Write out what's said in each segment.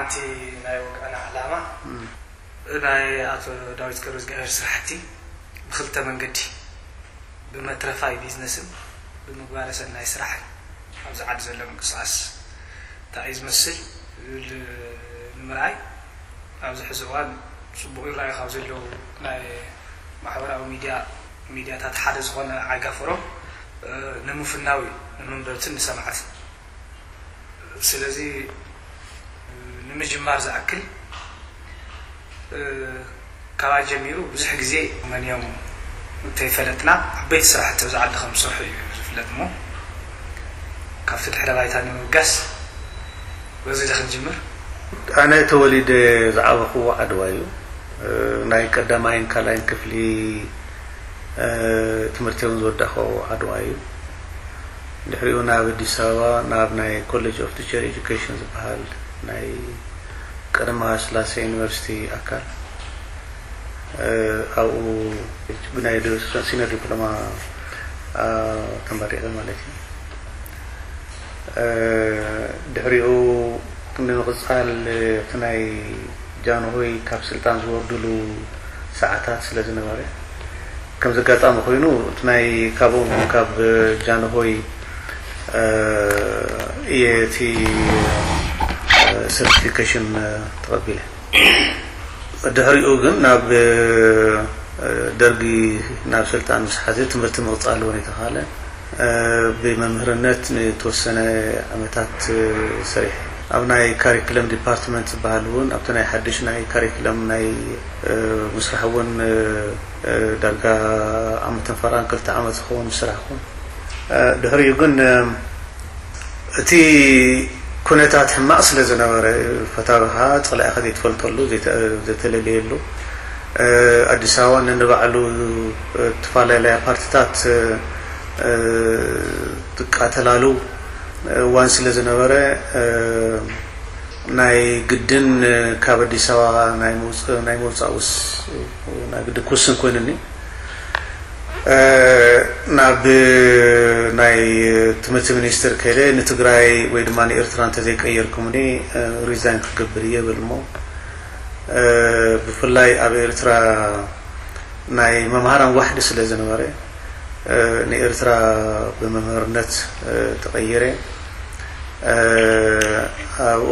እቲ ናይ ወግዕና ዕላማ ናይ ኣቶ ዳዊት ገብረዝግሄር ስራሕቲ ብክልተ መንገዲ፣ ብመትረፋይ ቢዝነስን ብምግባረ ሰናይ ስራሕን ኣብዚ ዓዲ ዘሎ ምንቅስቃስ እንታይ እዩ ዝመስል ዝብል ንምርኣይ፣ ኣብዚ ሕዚ እዋን ጽቡቕ ይረኣዩ ካብ ዘለዉ ናይ ማሕበራዊ ሚድያ፣ ሚድያታት ሓደ ዝኾነ ዓይጋ ፎረም ንምፍናው እዩ፣ ንመንበብትን ንሰማዕትን። ስለዚ ንምጅማር ዝኣክል፣ ካባይ ጀሚሩ ብዙሕ ግዜ መን እዮም እንተይፈለጥና፣ ዓበይቲ ስራሕቲ ኣብዚ ዓዲ ከም ዝሰርሑ እዩ ዝፍለጥ። እሞ ካብቲ ድሕረ ባይታ ንምብጋስ በዚ ዶ ክንጅምር? ኣነ ተወሊደ ዝዓበኹዎ ዓድዋ እዩ። ናይ ቀዳማይን ካልኣይን ክፍሊ ትምህርቲ እውን ዝወዳእኩዎ ዓድዋ እዩ። ድሕሪኡ ናብ ኣዲስ ኣበባ ናብ ናይ ኮሌጅ ኦፍ ቲቸር ኤጁኬሽን ዝበሃል ናይ ቀዳማዊ ስላሴ ዩኒቨርሲቲ ኣካል፣ ኣብኡ ብናይ ሲኒየር ዲፕሎማ ተመሪቐ ማለት እዩ። ድሕሪኡ ንምቕፃል እቲ ናይ ጃንሆይ ካብ ስልጣን ዝወርድሉ ሰዓታት ስለ ዝነበረ፣ ከምዚ ኣጋጣሚ ኮይኑ እቲ ናይ ካብኦም ካብ ጃንሆይ እየ እቲ ሰርቲፊኬሽን ተቐቢለ። ድሕሪኡ ግን ናብ ደርጊ ናብ ስልጣን ምስ ሓዘ ትምህርቲ ምቕፃል እውን ኣይተኻእለ። ብመምህርነት ንተወሰነ ዓመታት ሰሪሐ። ኣብ ናይ ካሪክለም ዲፓርትመንት ዝበሃል እውን ኣብቲ ናይ ሓድሽ ናይ ካሪክለም ናይ ምስራሕ እውን ዳርጋ ዓመትን ፈራን ክልተ ዓመት ዝኸውን ዝሰራሕኩ። ድሕሪኡ ግን እቲ ኩነታት ሕማቕ ስለ ዝነበረ፣ ፈታዊኻ ጸላኢኻ ዘይትፈልጠሉ፣ ዘይተ-፣ ዘይተለለየሉ፣ ኣዲስ ኣበባ ነንባዕሉ እተፈላለያ ፓርቲታት ትቃተላሉ እዋን ስለ ዝነበረ፣ ናይ ግድን ካብ ኣዲስ ኣበባ ናይ ምውጽ-፣ ናይ ምውጻእ ውስ-፣ ናይ ግድን ክውስን ኮይኑኒ። ናብ ናይ ትምህርቲ ሚኒስትር ከይደ ንትግራይ ወይ ድማ ንኤርትራ እንተዘይቀየርኩምኒ ሪዛይን ክገብር እየ ብል። እሞ ብፍላይ ኣብ ኤርትራ ናይ መምሃራን ዋሕዲ ስለ ዝነበረ ንኤርትራ ብመምህርነት ተቐይረ። ኣብኡ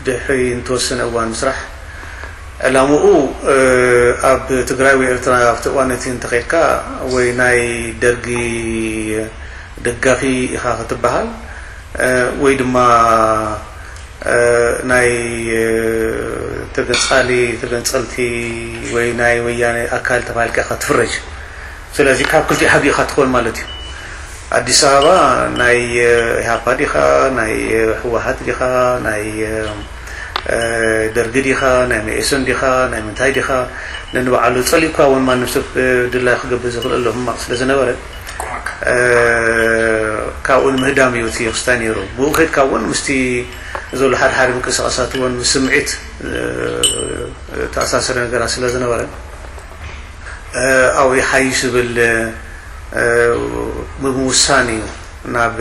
ድሕሪ እንተወሰነ እዋን ምስራሕ ዕላምኡ ኣብ ትግራይ ወይ ኤርትራ ኣብቲ እዋን እቲ እንተኸድካ ወይ ናይ ደርጊ ደጋፊ ኢኻ ክትበሃል ወይ ድማ ናይ ተገንጻሊ ተገንጸልቲ ወይ ናይ ወያነ ኣካል ተባሂልካ ኢኻ ትፍረጅ። ስለዚ ካብ ክልቲኡ ሓዲኡ ኢኻ ትኾን ማለት እዩ። ኣዲስ ኣበባ ናይ ኢህኣፓ ዲኻ፣ ናይ ህወሓት ዲኻ፣ ናይ ደርጊ ዲኻ፣ ናይ መኢሶን ዲኻ፣ ናይ ምንታይ ዲኻ፣ ነንባዕሉ ጸሊእኳ እውን ማንም ሰብ ድላዩ ክገብር ዝኽእል ኣሎ፣ ሕማቕ ስለ ዝነበረ ካብኡ ንምህዳም እዩ እቲ ክስታይ ነይሩ። ብኡ ከድካ እውን ምስቲ ዘሎ ሓደ ሓደ ምንቅስቃሳት እውን ምስ ስምዒት ተኣሳሰረ ነገራት ስለ ዝነበረ ኣብኡ ይሓይሽ ዝብል ብምውሳን እዩ ናብ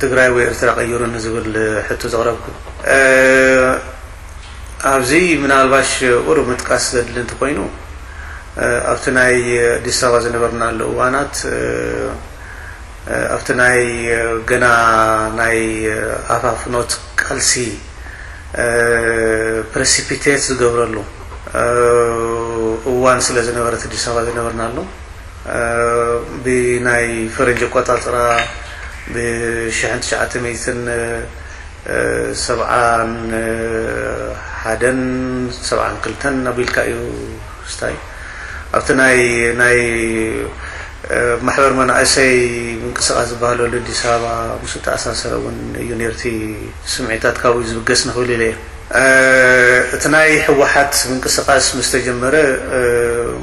ትግራይ ወይ ኤርትራ ቀይሩኒ ዝብል ሕቶ ዘቕረብኩ። ኣብዚ ምናልባሽ ቁሩብ ምጥቃስ ዘድሊ እንተኮይኑ፣ ኣብቲ ናይ ኣዲስ ኣበባ ዝነበርናሉ እዋናት፣ ኣብቲ ናይ ገና ናይ ኣፋፍኖት ቃልሲ ፕረሲፒቴት ዝገብረሉ እዋን ስለ ዝነበረት ኣዲስ ኣበባ ዝነበርናሉ፣ ብናይ ፈረንጂ ኣቆጻጽራ ብሽሕን ትሽዓተ ሚእትን ሰብዓን ሓደን ሰብዓን ክልተን ኣቢልካ እዩ ክስታይ። ኣብቲ ናይ ናይ ማሕበር መናእሰይ ምንቅስቃስ ዝበሃለሉ ኣዲስ ኣበባ ምስ ተኣሳሰረ እውን እዩ ነርቲ ስምዒታት ካብኡ ዝብገስ ንኽብል ኢለ እየ። እቲ ናይ ህወሓት ምንቅስቃስ ምስ ተጀመረ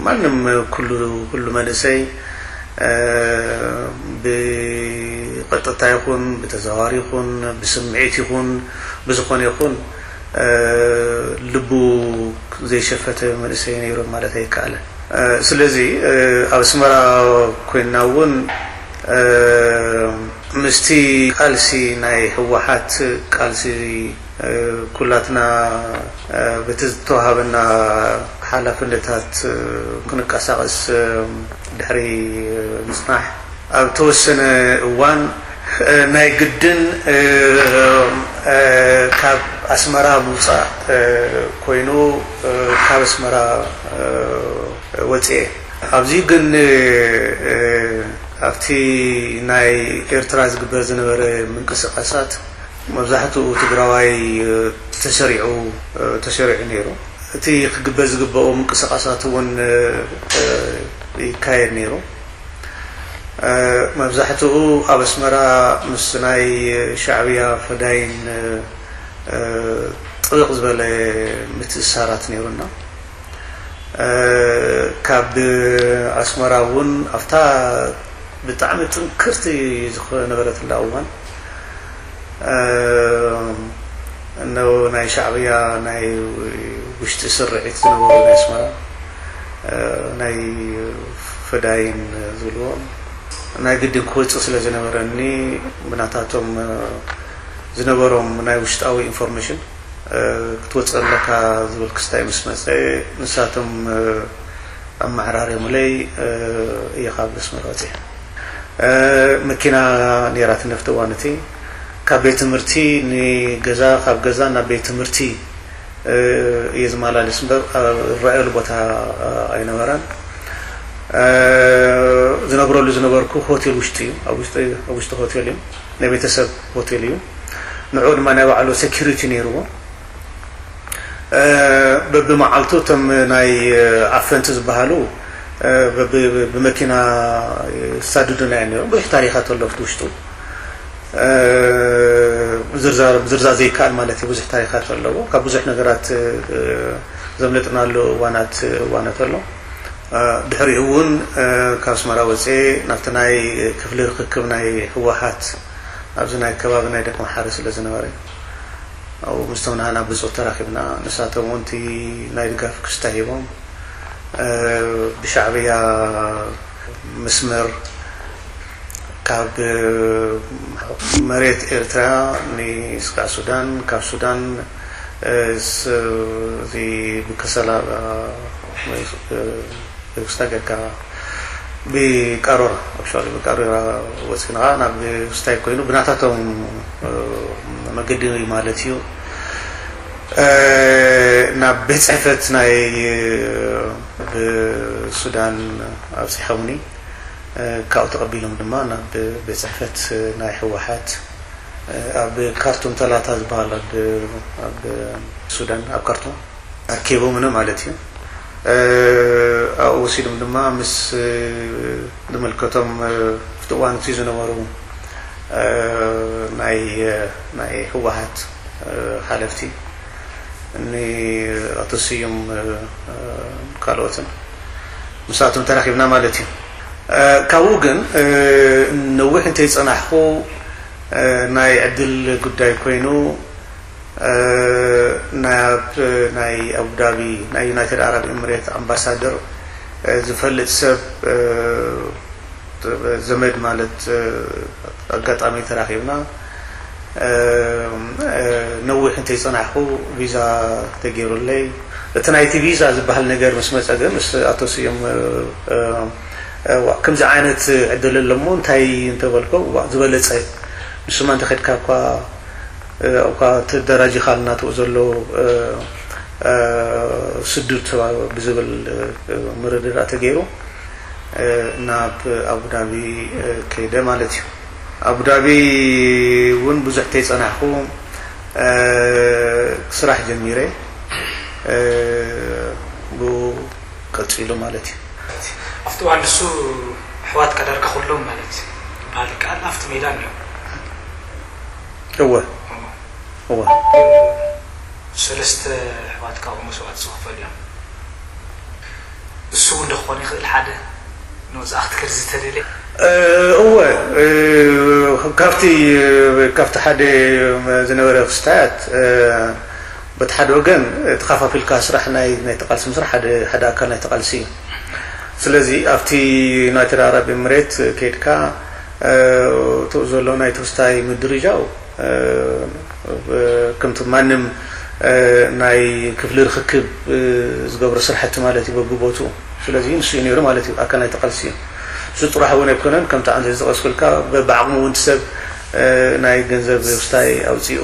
ማንም ኩሉ ኩሉ መንእሰይ ብቐጥታ ይኹን ብተዘዋዋሪ ይኹን ብስምዒት ይኹን ብዝኾነ ይኹን ልቡ ዘይሸፈተ መንእሰይ ነይሩ ማለት ኣይከኣልን። ስለዚ ኣብ ኣስመራ ኮይንና እውን ምስቲ ቃልሲ ናይ ህወሓት ቃልሲ ኩላትና በቲ ዝተዋሃበና ሓላፍነታት ክንቀሳቐስ ድሕሪ ምፅናሕ፣ ኣብ ተወሰነ እዋን ናይ ግድን ካብ ኣስመራ ምውፃእ ኮይኑ፣ ካብ ኣስመራ ወፅኤ። ኣብዚ ግን ኣብቲ ናይ ኤርትራ ዝግበር ዝነበረ ምንቅስቃሳት፣ መብዛሕትኡ ትግራዋይ ተሰሪዑ ተሰሪዑ ነይሩ። እቲ ክግበር ዝግበኦ ምንቅስቃሳት እውን ይካየድ ነይሩ። መብዛሕትኡ ኣብ ኣስመራ ምስ ናይ ሻዕብያ ፈዳይን ጥብቕ ዝበለ ምትእሳራት ነይሩና። ካብ ኣስመራ እውን ኣብታ ብጣዕሚ ጥንክርቲ ዝነበረትላ እዋን፣ እነው ናይ ሻዕብያ ናይ ውሽጢ ስርዒት ዝነበሩ ናይ ኣስመራ ናይ ፈዳይን ዝብልዎም ናይ ግድን ክወፅእ ስለ ዝነበረኒ፣ ብናታቶም ዝነበሮም ናይ ውሽጣዊ ኢንፎርሜሽን ክትወፅእ ኣለካ ዝብል ክስታይ ምስ መፀ፣ ንሳቶም ኣመዓራርዮምለይ እየ ካብ ኣስመራ ወፅየ። መኪና ነይራት ነፍቲ እዋን እቲ ካብ ቤት ትምህርቲ ንገዛ፣ ካብ ገዛ ናብ ቤት ትምህርቲ እየ ዝመላለስ እምበር ዝረኣየሉ ቦታ ኣይነበረን። ዝነብረሉ ዝነበርኩ ሆቴል ውሽጢ እዩ፣ ኣብ ውሽጢ ሆቴል እዩ፣ ናይ ቤተሰብ ሆቴል እዩ። ንዕኡ ድማ ናይ ባዕሉ ሴኪሪቲ ነይርዎ። በብመዓልቱ እቶም ናይ ኣፈንቲ ዝበሃሉ ብመኪና ይሳድዱና እዮም ነይሮም። ብዙሕ ታሪኻት ኣሎ ኣብቲ ውሽጡ። ዝርዛር ዘይከኣል ማለት እዩ። ብዙሕ ታሪኻት ኣለዎ። ካብ ብዙሕ ነገራት ዘምለጥናሉ እዋናት እዋናት ኣሎ። ድሕሪኡ እውን ካብ ኣስመራ ወፅኤ ናብቲ ናይ ክፍሊ ርክክብ ናይ ህወሓት ኣብዚ ናይ ከባቢ ናይ ደቀምሓረ ስለ ዝነበረ፣ ኣብኡ ምስቶም ናህና ብፁዕ ተራኺብና። ንሳቶም እውን እቲ ናይ ድጋፍ ክስታ ሂቦም፣ ብሻዕብያ መስመር ካብ መሬት ኤርትራ ንስጋዕ ሱዳን፣ ካብ ሱዳን እዚ ብከሰላ ክስታ ጌርካ ብቃሮራ፣ ኣብ ሸዋል ብቃሮራ ወፂና ናብ ክስታይ ኮይኑ ብናታቶም መገዲ ማለት እዩ። ናብ ቤት ፅሕፈት ናይ ብሱዳን ኣብፂሖምኒ። ካብኡ ተቐቢሎም ድማ ናብ ቤት ፅሕፈት ናይ ህወሓት ኣብ ካርቱም ተላታ ዝበሃል ኣብ ሱዳን ኣብ ካርቱም ኣኪቦምኒ ማለት እዩ። ኣብኡ ወሲዶም ድማ ምስ ዝምልከቶም ኣብቲ እዋን እቲ ዝነበሩ ናይ ህወሓት ሓለፍቲ ንኣቶ ስዩም ካልኦትን ምስኣቶም ተራኺብና ማለት እዩ። ካብኡ ግን ነዊሕ እንተይፀናሕኩ ናይ ዕድል ጉዳይ ኮይኑ ናብ ናይ ኣቡዳቢ ናይ ዩናይትድ ኣረብ ኤምሬት ኣምባሳደር ዝፈልጥ ሰብ ዘመድ ማለት ኣጋጣሚ ተራኺብና ነዊሕ እንተይፀናሕኩ ቪዛ ተገይሩለይ። እቲ ናይቲ ቪዛ ዝበሃል ነገር ምስ መፀ ግን ምስ ኣቶ ስዮም ከምዚ ዓይነት ዕድል ኣለሞ እንታይ እንተበልኮ ዝበለፀ ንስማ እንተኸድካ እኳ እኳ ተደራጂኻልና ትኡ ዘሎ ስዱድ ብዝብል ምርድዳእ ተገይሩ ናብ ኣቡዳቢ ከይደ ማለት እዩ። ኣቡዳቢ እውን ብዙሕ ተይፀናሕኩ ስራሕ ጀሚረ ብኡ ቀፂሉ ማለት እዩ። ኣብቲ እዋን ንሱ ኣሕዋትካ ዳርጋ ኩሎም ማለት ይበሃል ይከኣል ኣብቲ ሜዳ እኒኦ። እወ እወ። ሰለስተ ኣሕዋትካ ኣብኡ መስዋእቲ ዝኸፈሉ እዮም። እሱ እውን ዶ ክኾን ይኽእል ሓደ ንወፃእኽቲ ክርዚ ተደልየ? እወ ካብቲ ካብቲ ሓደ ዝነበረ ክስታያት በቲ ሓደ ወገን ተኻፋፊልካ ስራሕ ናይ ናይቲ ቃልሲ ምስራሕ ሓደ ሓደ ኣካል ናይቲ ቃልሲ እዩ። ስለዚ ኣብቲ ዩናይትድ ኣረብ ኤምሬት ከይድካ እቱ ዘሎ ናይ ተወስታይ ምድርጃው ከምቲ ማንም ናይ ክፍሊ ርክክብ ዝገብሮ ስራሕቲ ማለት እዩ በብቦትኡ። ስለዚ ንሱ እዩ ነይሩ ማለት እዩ ኣካል ናይቲ ቃልሲ እዩ። እሱ ጥራሕ እውን ኣይኮነን፣ ከምቲ ኣንተ ዝጠቀስኩልካ በብዓቕሙ እውን ሰብ ናይ ገንዘብ ውስታይ ኣውፅኡ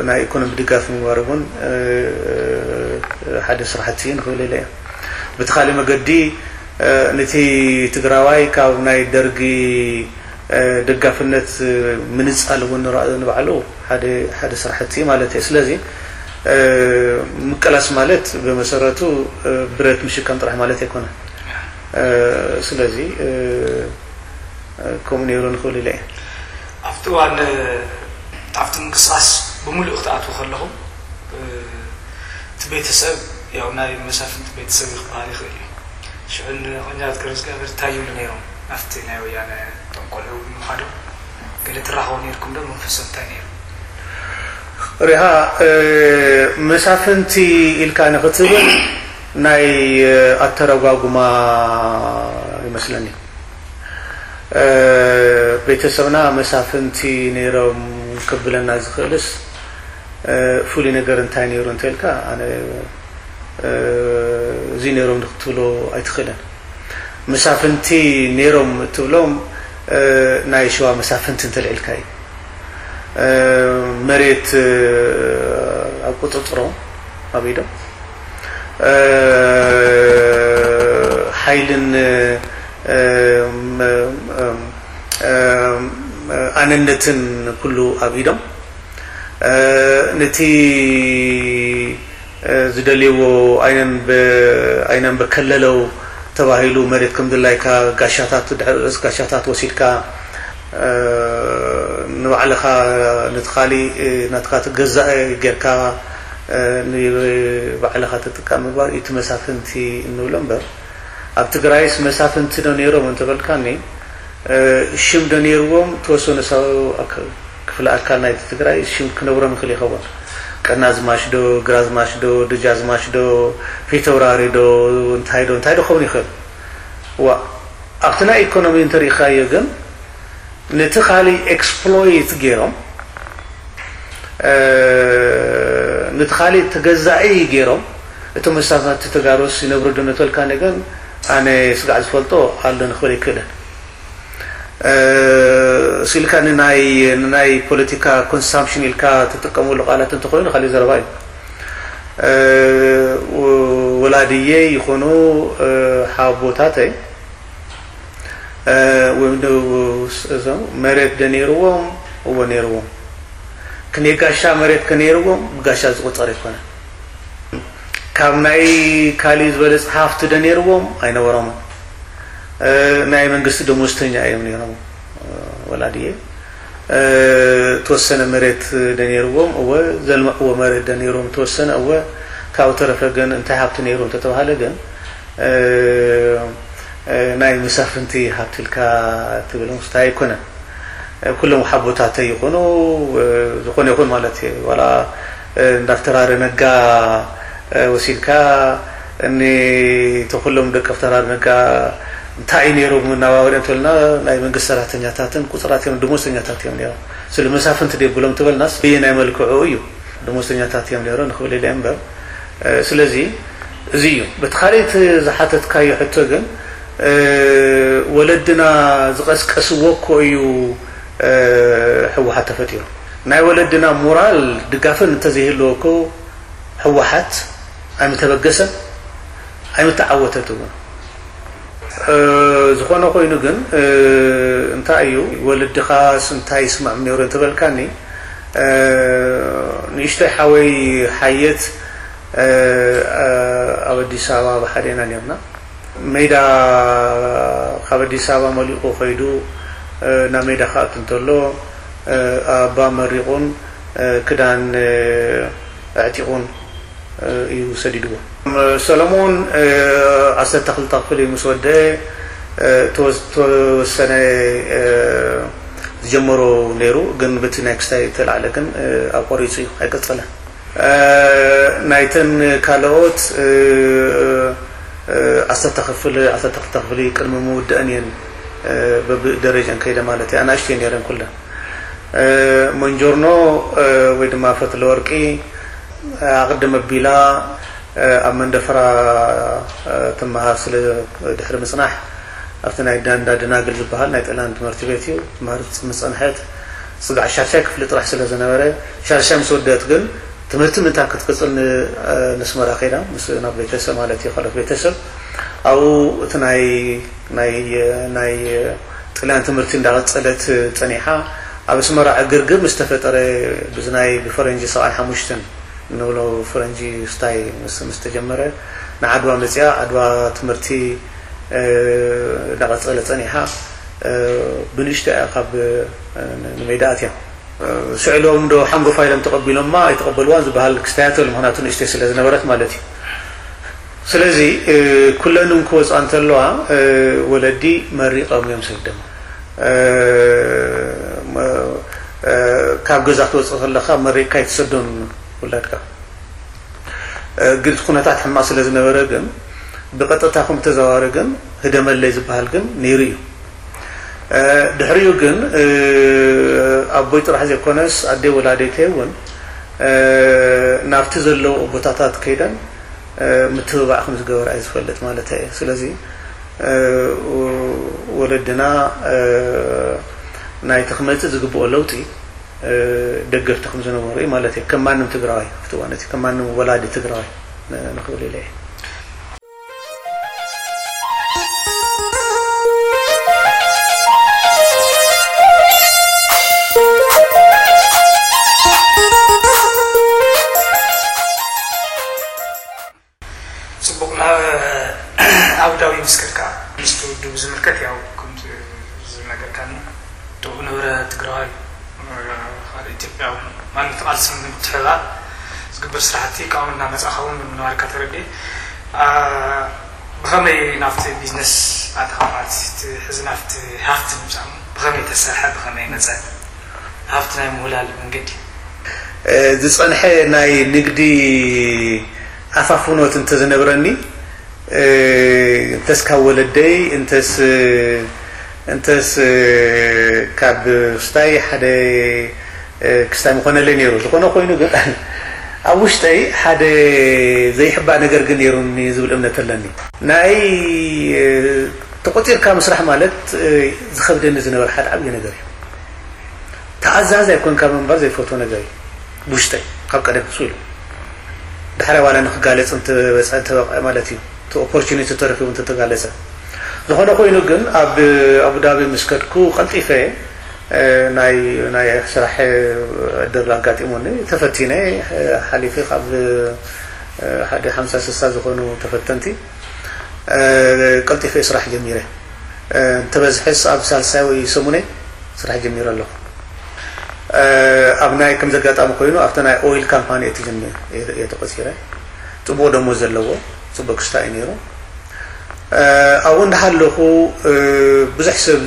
ናይ ኢኮኖሚ ድጋፍ ምግባር እውን ሓደ ስራሕቲ ንክብል ኢለ እየ። ብቲ ካልእ መገዲ ነቲ ትግራዋይ ካብ ናይ ደርጊ ደጋፍነት ምንፃል እውን ንባዕሉ ሓደ ስራሕቲ ማለት እዩ። ስለዚ ምቅላስ ማለት ብመሰረቱ ብረት ምሽካም ጥራሕ ማለት ኣይኮነ። ስለዚ ከምኡ ነይሩ ንክብል ኢለ እየ። ኣብቲ እዋን ኣብቲ ምንቅስቃስ ብምሉእ ክትኣትዉ ከለኹም እቲ ቤተሰብ ያው ናይ መሳፍንቲ ቤተሰብ እዩ ክበሃል ይኽእል እዩ። ሽዑ ንቆኛት ገብረእግዚኣብሔር እንታይ ይብሉ ነይሮም ኣብቲ ናይ ወያነ እቶም ቆልዑ ንምዃዶም ገለ ትራኸቡ ነይርኩም ዶ? መንፈሶም እንታይ ነይሩ? ሪሃ መሳፍንቲ ኢልካ ንክትብል ናይ ኣተረጓጉማ ይመስለኒ። ቤተሰብና መሳፍንቲ ነይሮም ክብለና ዝኽእልስ ፍሉይ ነገር እንታይ ነይሩ እንተልካ ኣነ እዚ ነይሮም ክትብሎ ኣይትኽእልን። መሳፍንቲ ነይሮም እትብሎም ናይ ሸዋ መሳፍንቲ እንተልዒልካ እዩ። መሬት ኣብ ቁፅፅሮም ኣብ ኢዶም ሓይልን ኣነነትን ኩሉ ኣብ ኢዶም ነቲ ዝደልይዎ ኣይነን በከለለው ተባሂሉ መሬት ከም ድላይካ ጋሻታት ድሕሪ ርእስ ጋሻታት ወሲድካ ንባዕልኻ ነቲ ካሊእ ናትካ ትገዛእ ጌርካ ንባዕልኻ ትጥቀም ምግባር እቲ መሳፍንቲ እንብሎ እምበር ኣብ ትግራይስ መሳፍንቲ ዶ ነይሮም እንተበልካኒ ሽም ዶ ነይርዎም ተወሰኑ ክፍለ ኣካል ናይቲ ትግራይ ሽም ክነብሮም ይኽእል ይኸውን። ቀናዝማች ዶ ግራዝማች ዶ ደጃዝማች ዶ ፊተውራሪ ዶ እንታይ ዶ እንታይ ዶ ክኸውን ይኽእል። ዋ ኣብቲ ናይ ኢኮኖሚ እንተሪኢኻዮ ግን ነቲ ካሊእ ኤክስፕሎይት ገይሮም ነቲ ካሊእ ተገዛኢ ገይሮም እቶም መሳፍንቲ ተጋሩስ ይነብሩ ዶ ነተልካ ነገን ኣነ ስጋዕ ዝፈልጦ ኣሎ ንኽብል ይክእልን ስኢልካ ንናይ ንናይ ፖለቲካ ኮንሳምፕሽን ኢልካ ትጥቀመሉ ቃላት እንተኮይኑ ካሊእ ዘረባ እዩ። ወላድየ ይኾኑ ሓቦታተይ ወይም እዞም መሬት ዶ ነይርዎም? እዎ ነይርዎም። ክንደይ ጋሻ መሬት ከ ነይርዎም? ብጋሻ ዝቁፀር ኣይኮነን። ካብ ናይ ካሊእ ዝበለፀ ሃፍቲ ዶ ነይርዎም? ኣይነበሮምን። ናይ መንግስቲ ደሞዝተኛ እዮም ነይሮም ወላድየ። ተወሰነ መሬት ዶ ነይርዎም? እወ። ዘልምዕዎ መሬት ዶ ነይሮም? ተወሰነ እወ። ካብኡ ተረፈ ግን እንታይ ሃብቲ ነይሩ እንተተባሃለ ግን ናይ መሳፍንቲ ሃብቲ ኢልካ ትብል ምስታይ ኣይኮነን። ኩሎም ሓቦታተይ ይኾኑ ዝኾነ ይኹን ማለት እዩ ዋላ እንዳፍተራረ ነጋ ወሲድካ እኒ ተኩሎም ደቂ ኣፍተራረ ነጋ እንታይ እዩ ነይሩ መናባበሪኦም ተልና ናይ መንግስቲ ሰራሕተኛታትን ቁፅራት እዮም ደሞዝተኛታት እዮም ነይሮም ስለ መሳፍንቲ ደብሎም ትበልናስ ብየናይ መልክዑ እዩ ደሞዝተኛታት እዮም ነይሮም ንክብል ኢለ እምበር ስለዚ እዚ እዩ በቲ ካልእቲ ዝሓተትካዮ ሕቶ ግን ወለድና ዝቐስቀስዎ እኮ እዩ ህወሓት ተፈጢሩ ናይ ወለድና ሞራል ድጋፍን እንተዘይህልዎ እኮ ህወሓት ኣይምተበገሰን ኣይምተዓወተት እውን ዝኾነ ኮይኑ ግን እንታይ እዩ ወለድኻስ እንታይ ይስምዖም ነይሩ እንተበልካኒ ንእሽተይ ሓወይ ሓየት ኣብ ኣዲስ ኣበባ ብሓደ ኢና ነርና ሜዳ ካብ ኣዲስ ኣበባ መሊቑ ከይዱ ናብ ሜዳ ክኣቱ እንተሎ ኣባ መሪቑን ክዳን ኣዕጢቑን እዩ ሰዲድዎ። ሰለሞን ዓሰርተ ክልተ ክፍሊ ምስ ወደአ ተወሰነ ዝጀመሮ ነይሩ ግን በቲ ናይ ክስታይ ተላዕለ ግን ኣቆሪፁ እዩ ኣይቀፀለን። ናይተን ካልኦት ዓሰርተ ክፍሊ ዓሰርተ ክልተ ክፍሊ ቅድሚ ምውደአን እየን በብደረጃን ከይደ ማለት እዩ። ኣናእሽተይ ነይረን ኩለን። መንጆርኖ ወይ ድማ ፈትለ ወርቂ ኣቕድም ኣቢላ ኣብ መንደፈራ ትመሃር ስለ ድሕሪ ምጽናሕ ኣብቲ ናይ ዳንዳ ደናግል ዝበሃል ናይ ጥላን ትምህርቲ ቤት እዩ ትመሃር ምጸንሐት። ስጋዕ ሻሻይ ክፍሊ ጥራሕ ስለ ዝነበረ ሻሻይ ምስ ወደት ግን ትምህርቲ ምእንታ ክትቅጽል ንስመራ ከይዳ ምስ ናብ ቤተሰብ ማለት እዩ ካልኦት ቤተሰብ ኣብኡ እቲ ናይ ናይ ናይ ጥልያን ትምህርቲ እንዳቐጸለት ጸኒሓ ኣብ ኣስመራ ዕግርግር ምስ ተፈጠረ ብዝናይ ብፈረንጂ ሰብዓን ሓሙሽተን ንብሎ ፈረንጂ ስታይ ምስ ምስ ተጀመረ ንዓድዋ መጽያ ዓድዋ ትምህርቲ እንዳቐጸለ ጸኒሓ ብንእሽቶ እያ ካብ ንሜዳ ኣትያ። ስዕሎም ዶ ሓንጎፋ ኢሎም ተቐቢሎማ ኣይተቐበልዋን ዝበሃል ክስታያት ኣሎ ምክንያቱ ንእሽተይ ስለ ዝነበረት ማለት እዩ። ስለዚ ኩለንም ክወፅኣ እንተለዋ ወለዲ መሪቐም እዮም ሰደም። ካብ ገዛ ክትወፅእ ከለካ መሪቕካ ኣይትሰዶን ውላድካ። ግን ኩነታት ሕማቕ ስለ ዝነበረ ግን ብቐጥታ ከም ተዘዋዋሪ ግን ህደመለይ ዝበሃል ግን ነይሩ እዩ። ድሕሪኡ ግን ኣቦይ ጥራሕ ዘይኮነስ ኣደይ ወላዲተይ እውን ናብቲ ዘለውኦ ቦታታት ከይደን ምትብባዕ ከም ዝገበራ እዩ ዝፈልጥ ማለት እየ። ስለዚ ወለድና ናይቲ ክመፅእ ዝግብኦ ለውጢ ደገፍቲ ከም ዝነበሩ እዩ ማለት እዩ። ከም ማንም ትግራዋይ ኣብቲ እዋን እቲ ከም ማንም ወላዲ ትግራዋይ ንኽብል ኢለ እየ። ፅቡቕ ናብ ኣብዳዊ ምስ ከድካ ምስቲ ውድብ ዝምልከት ያው ከምቲ ዝነገርካኒ ጥቡቕ ነበረ ትግራዋይ ካልእ ኢትዮጵያ እውን ማለት ቃልሲ ንምትሕባር ዝግበር ስራሕቲ ካብኡ እናመፃእኻ እውን ምንባርካ ተረዲእ ብኸመይ ናብቲ ቢዝነስ ኣተኻ ማለት ሕዚ ናብቲ ሃፍቲ ምምፃእ ብኸመይ ተሰርሐ ብኸመይ መፀ ሃፍቲ ናይ ምውላል መንገዲ ዝፀንሐ ናይ ንግዲ ኣፋፍኖት እንተዝነብረኒ እንተስ ካብ ወለደይ እንተስ እንተስ ካብ ክስታይ ሓደ ክስታይ ምኾነለይ ነይሩ ዝኾነ ኮይኑ ግን ኣብ ውሽጠይ ሓደ ዘይሕባእ ነገር ግን ነይሩኒ ዝብል እምነት ኣለኒ ናይ ተቆፂርካ ምስራሕ ማለት ዝኸብደኒ ዝነበረ ሓደ ዓብዪ ነገር እዩ ተኣዛዝ ኣይኮንካ ምንባር ዘይፈትዎ ነገር እዩ ብውሽጠይ ካብ ቀደም ሱ ኢሉ ዳሕራይ ዋላ ንክጋለፅ እንተበፀ እንተበቕዐ ማለት እዩ እቲ ኦፖርቹኒቲ ተረኪቡ እንተተጋለፀ ዝኾነ ኮይኑ ግን ኣብ ኣቡዳቢ ምስ ከድኩ ቀልጢፈ ናይ ናይ ስራሕ ዕድል ኣጋጢሙኒ ተፈቲነ ሓሊፈ ካብ ሓደ ሓምሳ ስሳ ዝኾኑ ተፈተንቲ ቀልጢፈ ስራሕ ጀሚረ እንተበዝሐስ ኣብ ሳልሳይ ወይ ሰሙነይ ስራሕ ጀሚረ ኣለኹ ኣብ ናይ ከም ዘጋጣሚ ኮይኑ ኣብቲ ናይ ኦይል ካምፓኒ እየ ተጀሚረ እየ ተቆፂረ ፅቡቅ ደሞዝ ዘለዎ ፅቡቅ ክስታ እዩ ነይሩ ኣብኡ እንዳሃለኹ ብዙሕ ሰብ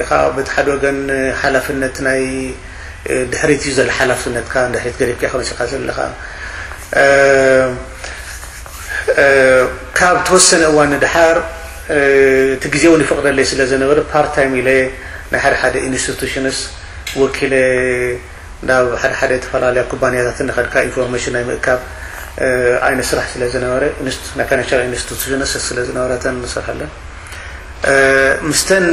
ኢኻ በቲ ሓደ ወገን ሓላፍነት ናይ ድሕሪት እዩ ዘሎ ሓላፍነትካ ድሕሪት ገዲፍካ ኢኻ መፂኻ ዘለኻ ካብ ተወሰነ እዋን ንድሓር እቲ ግዜ እውን ይፈቅደለይ ስለ ዝነበረ ፓርት ታይም ኢለ ናይ ሓደ ሓደ ኢንስቲቱሽንስ ወኪለ ናብ ሓደ ሓደ ዝተፈላለያ ኩባንያታት እናኸድካ ኢንፎርሜሽን ናይ ምእካብ ዓይነት ስራሕ ስለ ዝነበረ ናይ ፋይናንሻል ኢንስቲቱሽንስ ስለ ዝነበረተን ንሰርሐለን ምስተን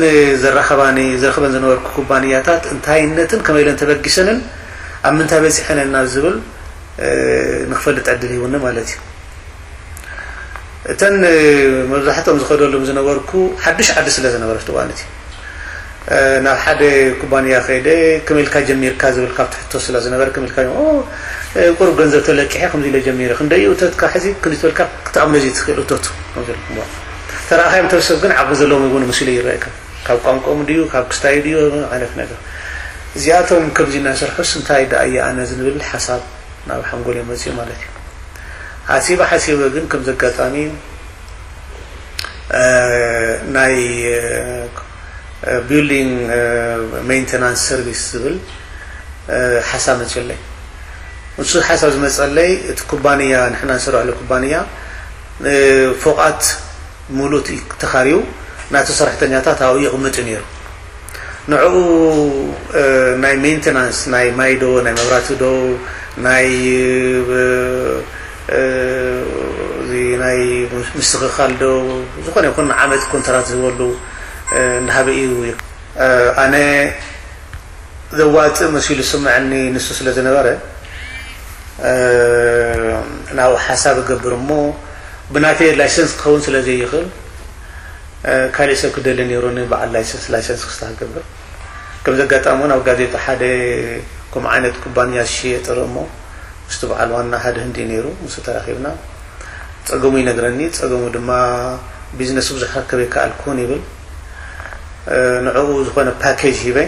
ዘራኸባኒ ዘረኽበን ዝነበርኩ ኩባንያታት እንታይነትን ከመይ ኢለን ተበጊሰንን ኣብ ምንታይ በፂሐን እና ዝብል ንክፈልጥ ዕድል ሂቡኒ ማለት እዩ እተን መብዛሕትኦም ዝኸደሎም ዝነበርኩ ሓዱሽ ዓዲ ስለ ዝነበረት እዋን እቲ ናብ ሓደ ኩባንያ ከይደ ከመይ ኢልካ ጀሚርካ ዝብል ካብቲ ሕቶ ስለ ዝነበረ ከመይ ኢልካ ቁሩብ ገንዘብ ተለቂሐ ከምዚ ኢለ ጀሚረ ክንደይ እቶትካ ሕዚ ክንዲ ትበልካ ክትኣምኖ ዘይትኽእል እቶት ተረኣኻዮም ተሰብ ግን ዓቕሚ ዘለዎም ይኮኑ መሲሉ ይረኣካ ካብ ቋንቋኦም ድዩ ካብ ክስታዩ ድዩ ዓይነት ነገር እዚኣቶም ከምዚ እናሰርሑስ እንታይ ደኣ እየ ኣነ ዝንብል ሓሳብ ናብ ሓንጎል መፅኡ ማለት እዩ ሓሲበ ሓሲበ ግን ከም ዘጋጣሚ ናይ building maintenance service ዝብል ሓሳብ መፅለይ ንሱ ሓሳብ ዝመፀለይ እቲ ኩባንያ ንሕና ንሰርሐሉ ኩባንያ ፎቃት ሙሉእ ተኻርዩ ናቱ ሰራሕተኛታት ኣብኡ ይቕምጥ እዩ ነይሩ። ንዕኡ ናይ ሜንቴናንስ፣ ናይ ማይ ዶ፣ ናይ መብራቲ ዶ፣ ናይ እዚ ናይ ምስትኽኻል ዶ፣ ዝኾነ ይኹን ዓመት ኮንትራት ዝህበሉ እንዳሃበ እዩ። ኣነ ዘዋፅእ መሲሉ ዝስምዐኒ ንሱ ስለ ዝነበረ፣ ናብኡ ሓሳብ እገብር እሞ፣ ብናተይ ላይሰንስ ክኸውን ስለ ዘይኽእል፣ ካልእ ሰብ ክደሊ ነይሩ፣ ንበዓል ላይሰንስ፣ ላይሰንስ ክስታ ክገብር። ከም ዘጋጣሚ እውን ኣብ ጋዜጣ ሓደ ከምኡ ዓይነት ኩባንያ ዝሽየጥ ርኢ እሞ፣ ምስቲ በዓል ዋና ሓደ ህንዲ ነይሩ፣ ምስ ተራኺብና፣ ጸገሙ ይነግረኒ። ጸገሙ ድማ፣ ቢዝነሱ ብዙሕ ክረክብ ኣይከኣልኩን ይብል። ንዕኡ ዝኾነ ፓኬጅ ሂበ፣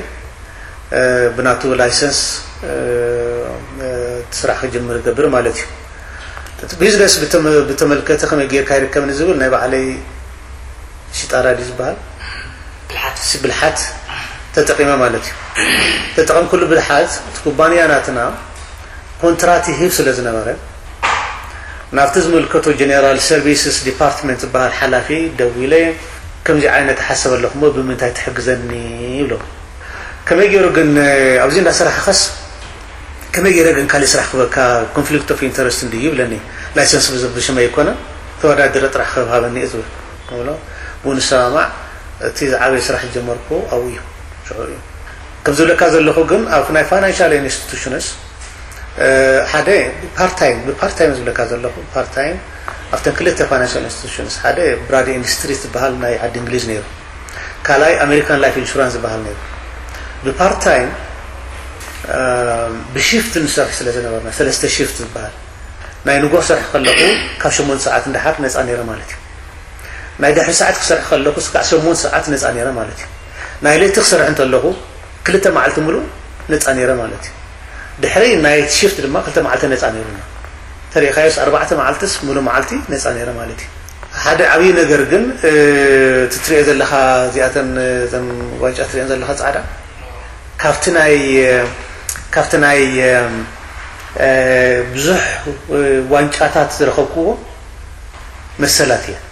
ብናቱ ላይሰንስ ስራሕ ክጅምር ገብር ማለት እዩ። እቲ ቢዝነስ ብተመልከተ ከመይ ጌርካ ይርከብ ንዝብል፣ ናይ ባዕለይ ሽጣራ ድዩ ዝበሃል፣ ብልሓት ተጠቂመ ማለት እዩ። ተጠቀምኩሉ ብልሓት፣ እቲ ኩባንያ ናትና ኮንትራት ይህብ ስለ ዝነበረ፣ ናብቲ ዝምልከቶ ጀነራል ሰርቪስስ ዲፓርትመንት ዝበሃል ሓላፊ ደዊለ፣ ከምዚ ዓይነት ሓሰብ ኣለኹ እሞ ብምንታይ ትሕግዘኒ ይብሎ። ከመይ ገይሩ ግን፣ ኣብዚ እንዳሰራሕኸስ ከመይ ገይረ ግን ካልእ ስራሕ ክበካ፣ ኮንፍሊክት ኦፍ ኢንተረስት እንድዩ ይብለኒ። ላይሰንስ ብዝ-፣ ብሽመይ ኣይኮነ፣ ተወዳድረ ጥራሕ ክህብ ሃበኒ እየ ዝብል። ብሎ፣ ብኡ ንሰማማዕ። እቲ ዝዓበየ ስራሕ ዝጀመርኩ ኣብኡ እዩ፣ ሽዑ እዩ። ከም ዝብለካ ዘለኹ ግን ኣብ ናይ ፋይናንሻል ኢንስቲቱሽንስ ሓደ ፓርታይም፣ ብፓርታይም ዝብለካ ዘለኹ ፓርታይም ኣብተን ክልተ ፋይናንሻል ኢንስቲቱሽንስ፣ ሓደ ብራድ ኤንድ ስትሪት ዝበሃል ናይ ዓዲ እንግሊዝ ነይሩ፣ ካልኣይ ኣሜሪካን ላይፍ ኢንሹራንስ ዝበሃል ነይሩ። ብፓርታይም ብሽፍት ንሰርሕ ስለ ዝነበርና፣ ሰለስተ ሽፍት ዝበሃል፣ ናይ ንጎ ክሰርሕ ከለኹ ካብ ሸሞንተ ሰዓት ንደሓር ነፃ ነይረ ማለት እዩ። ናይ ድሕሪ ሰዓት ክሰርሕ ከለኹ ክሳዕ ሸሞንተ ሰዓት ነፃ ነይረ ማለት እዩ። ናይ ለይቲ ክሰርሕ እንተለኹ ክልተ መዓልቲ ሙሉእ ነፃ ነይረ ማለት እዩ። ድሕሪ ናይት ሽፍት ድማ ክልተ መዓልቲ ነፃ ነይሩና። ተሪእኻዮስ ኣርባዕተ መዓልትስ ሙሉእ መዓልቲ ነፃ ነይረ ማለት እዩ። ሓደ ዓብዪ ነገር ግን፣ እ፣ እቲ ትሪኦ ዘለኻ፣ እዚኣተን፣ እተን ዋንጫ ትሪኦን ዘለኻ ፃዕዳ፣ ካብቲ ናይ፣ ካብቲ ናይ፣ እ፣ ብዙሕ፣ እ፣ ዋንጫታት ዝረኸብክዎ መሰላት እየን።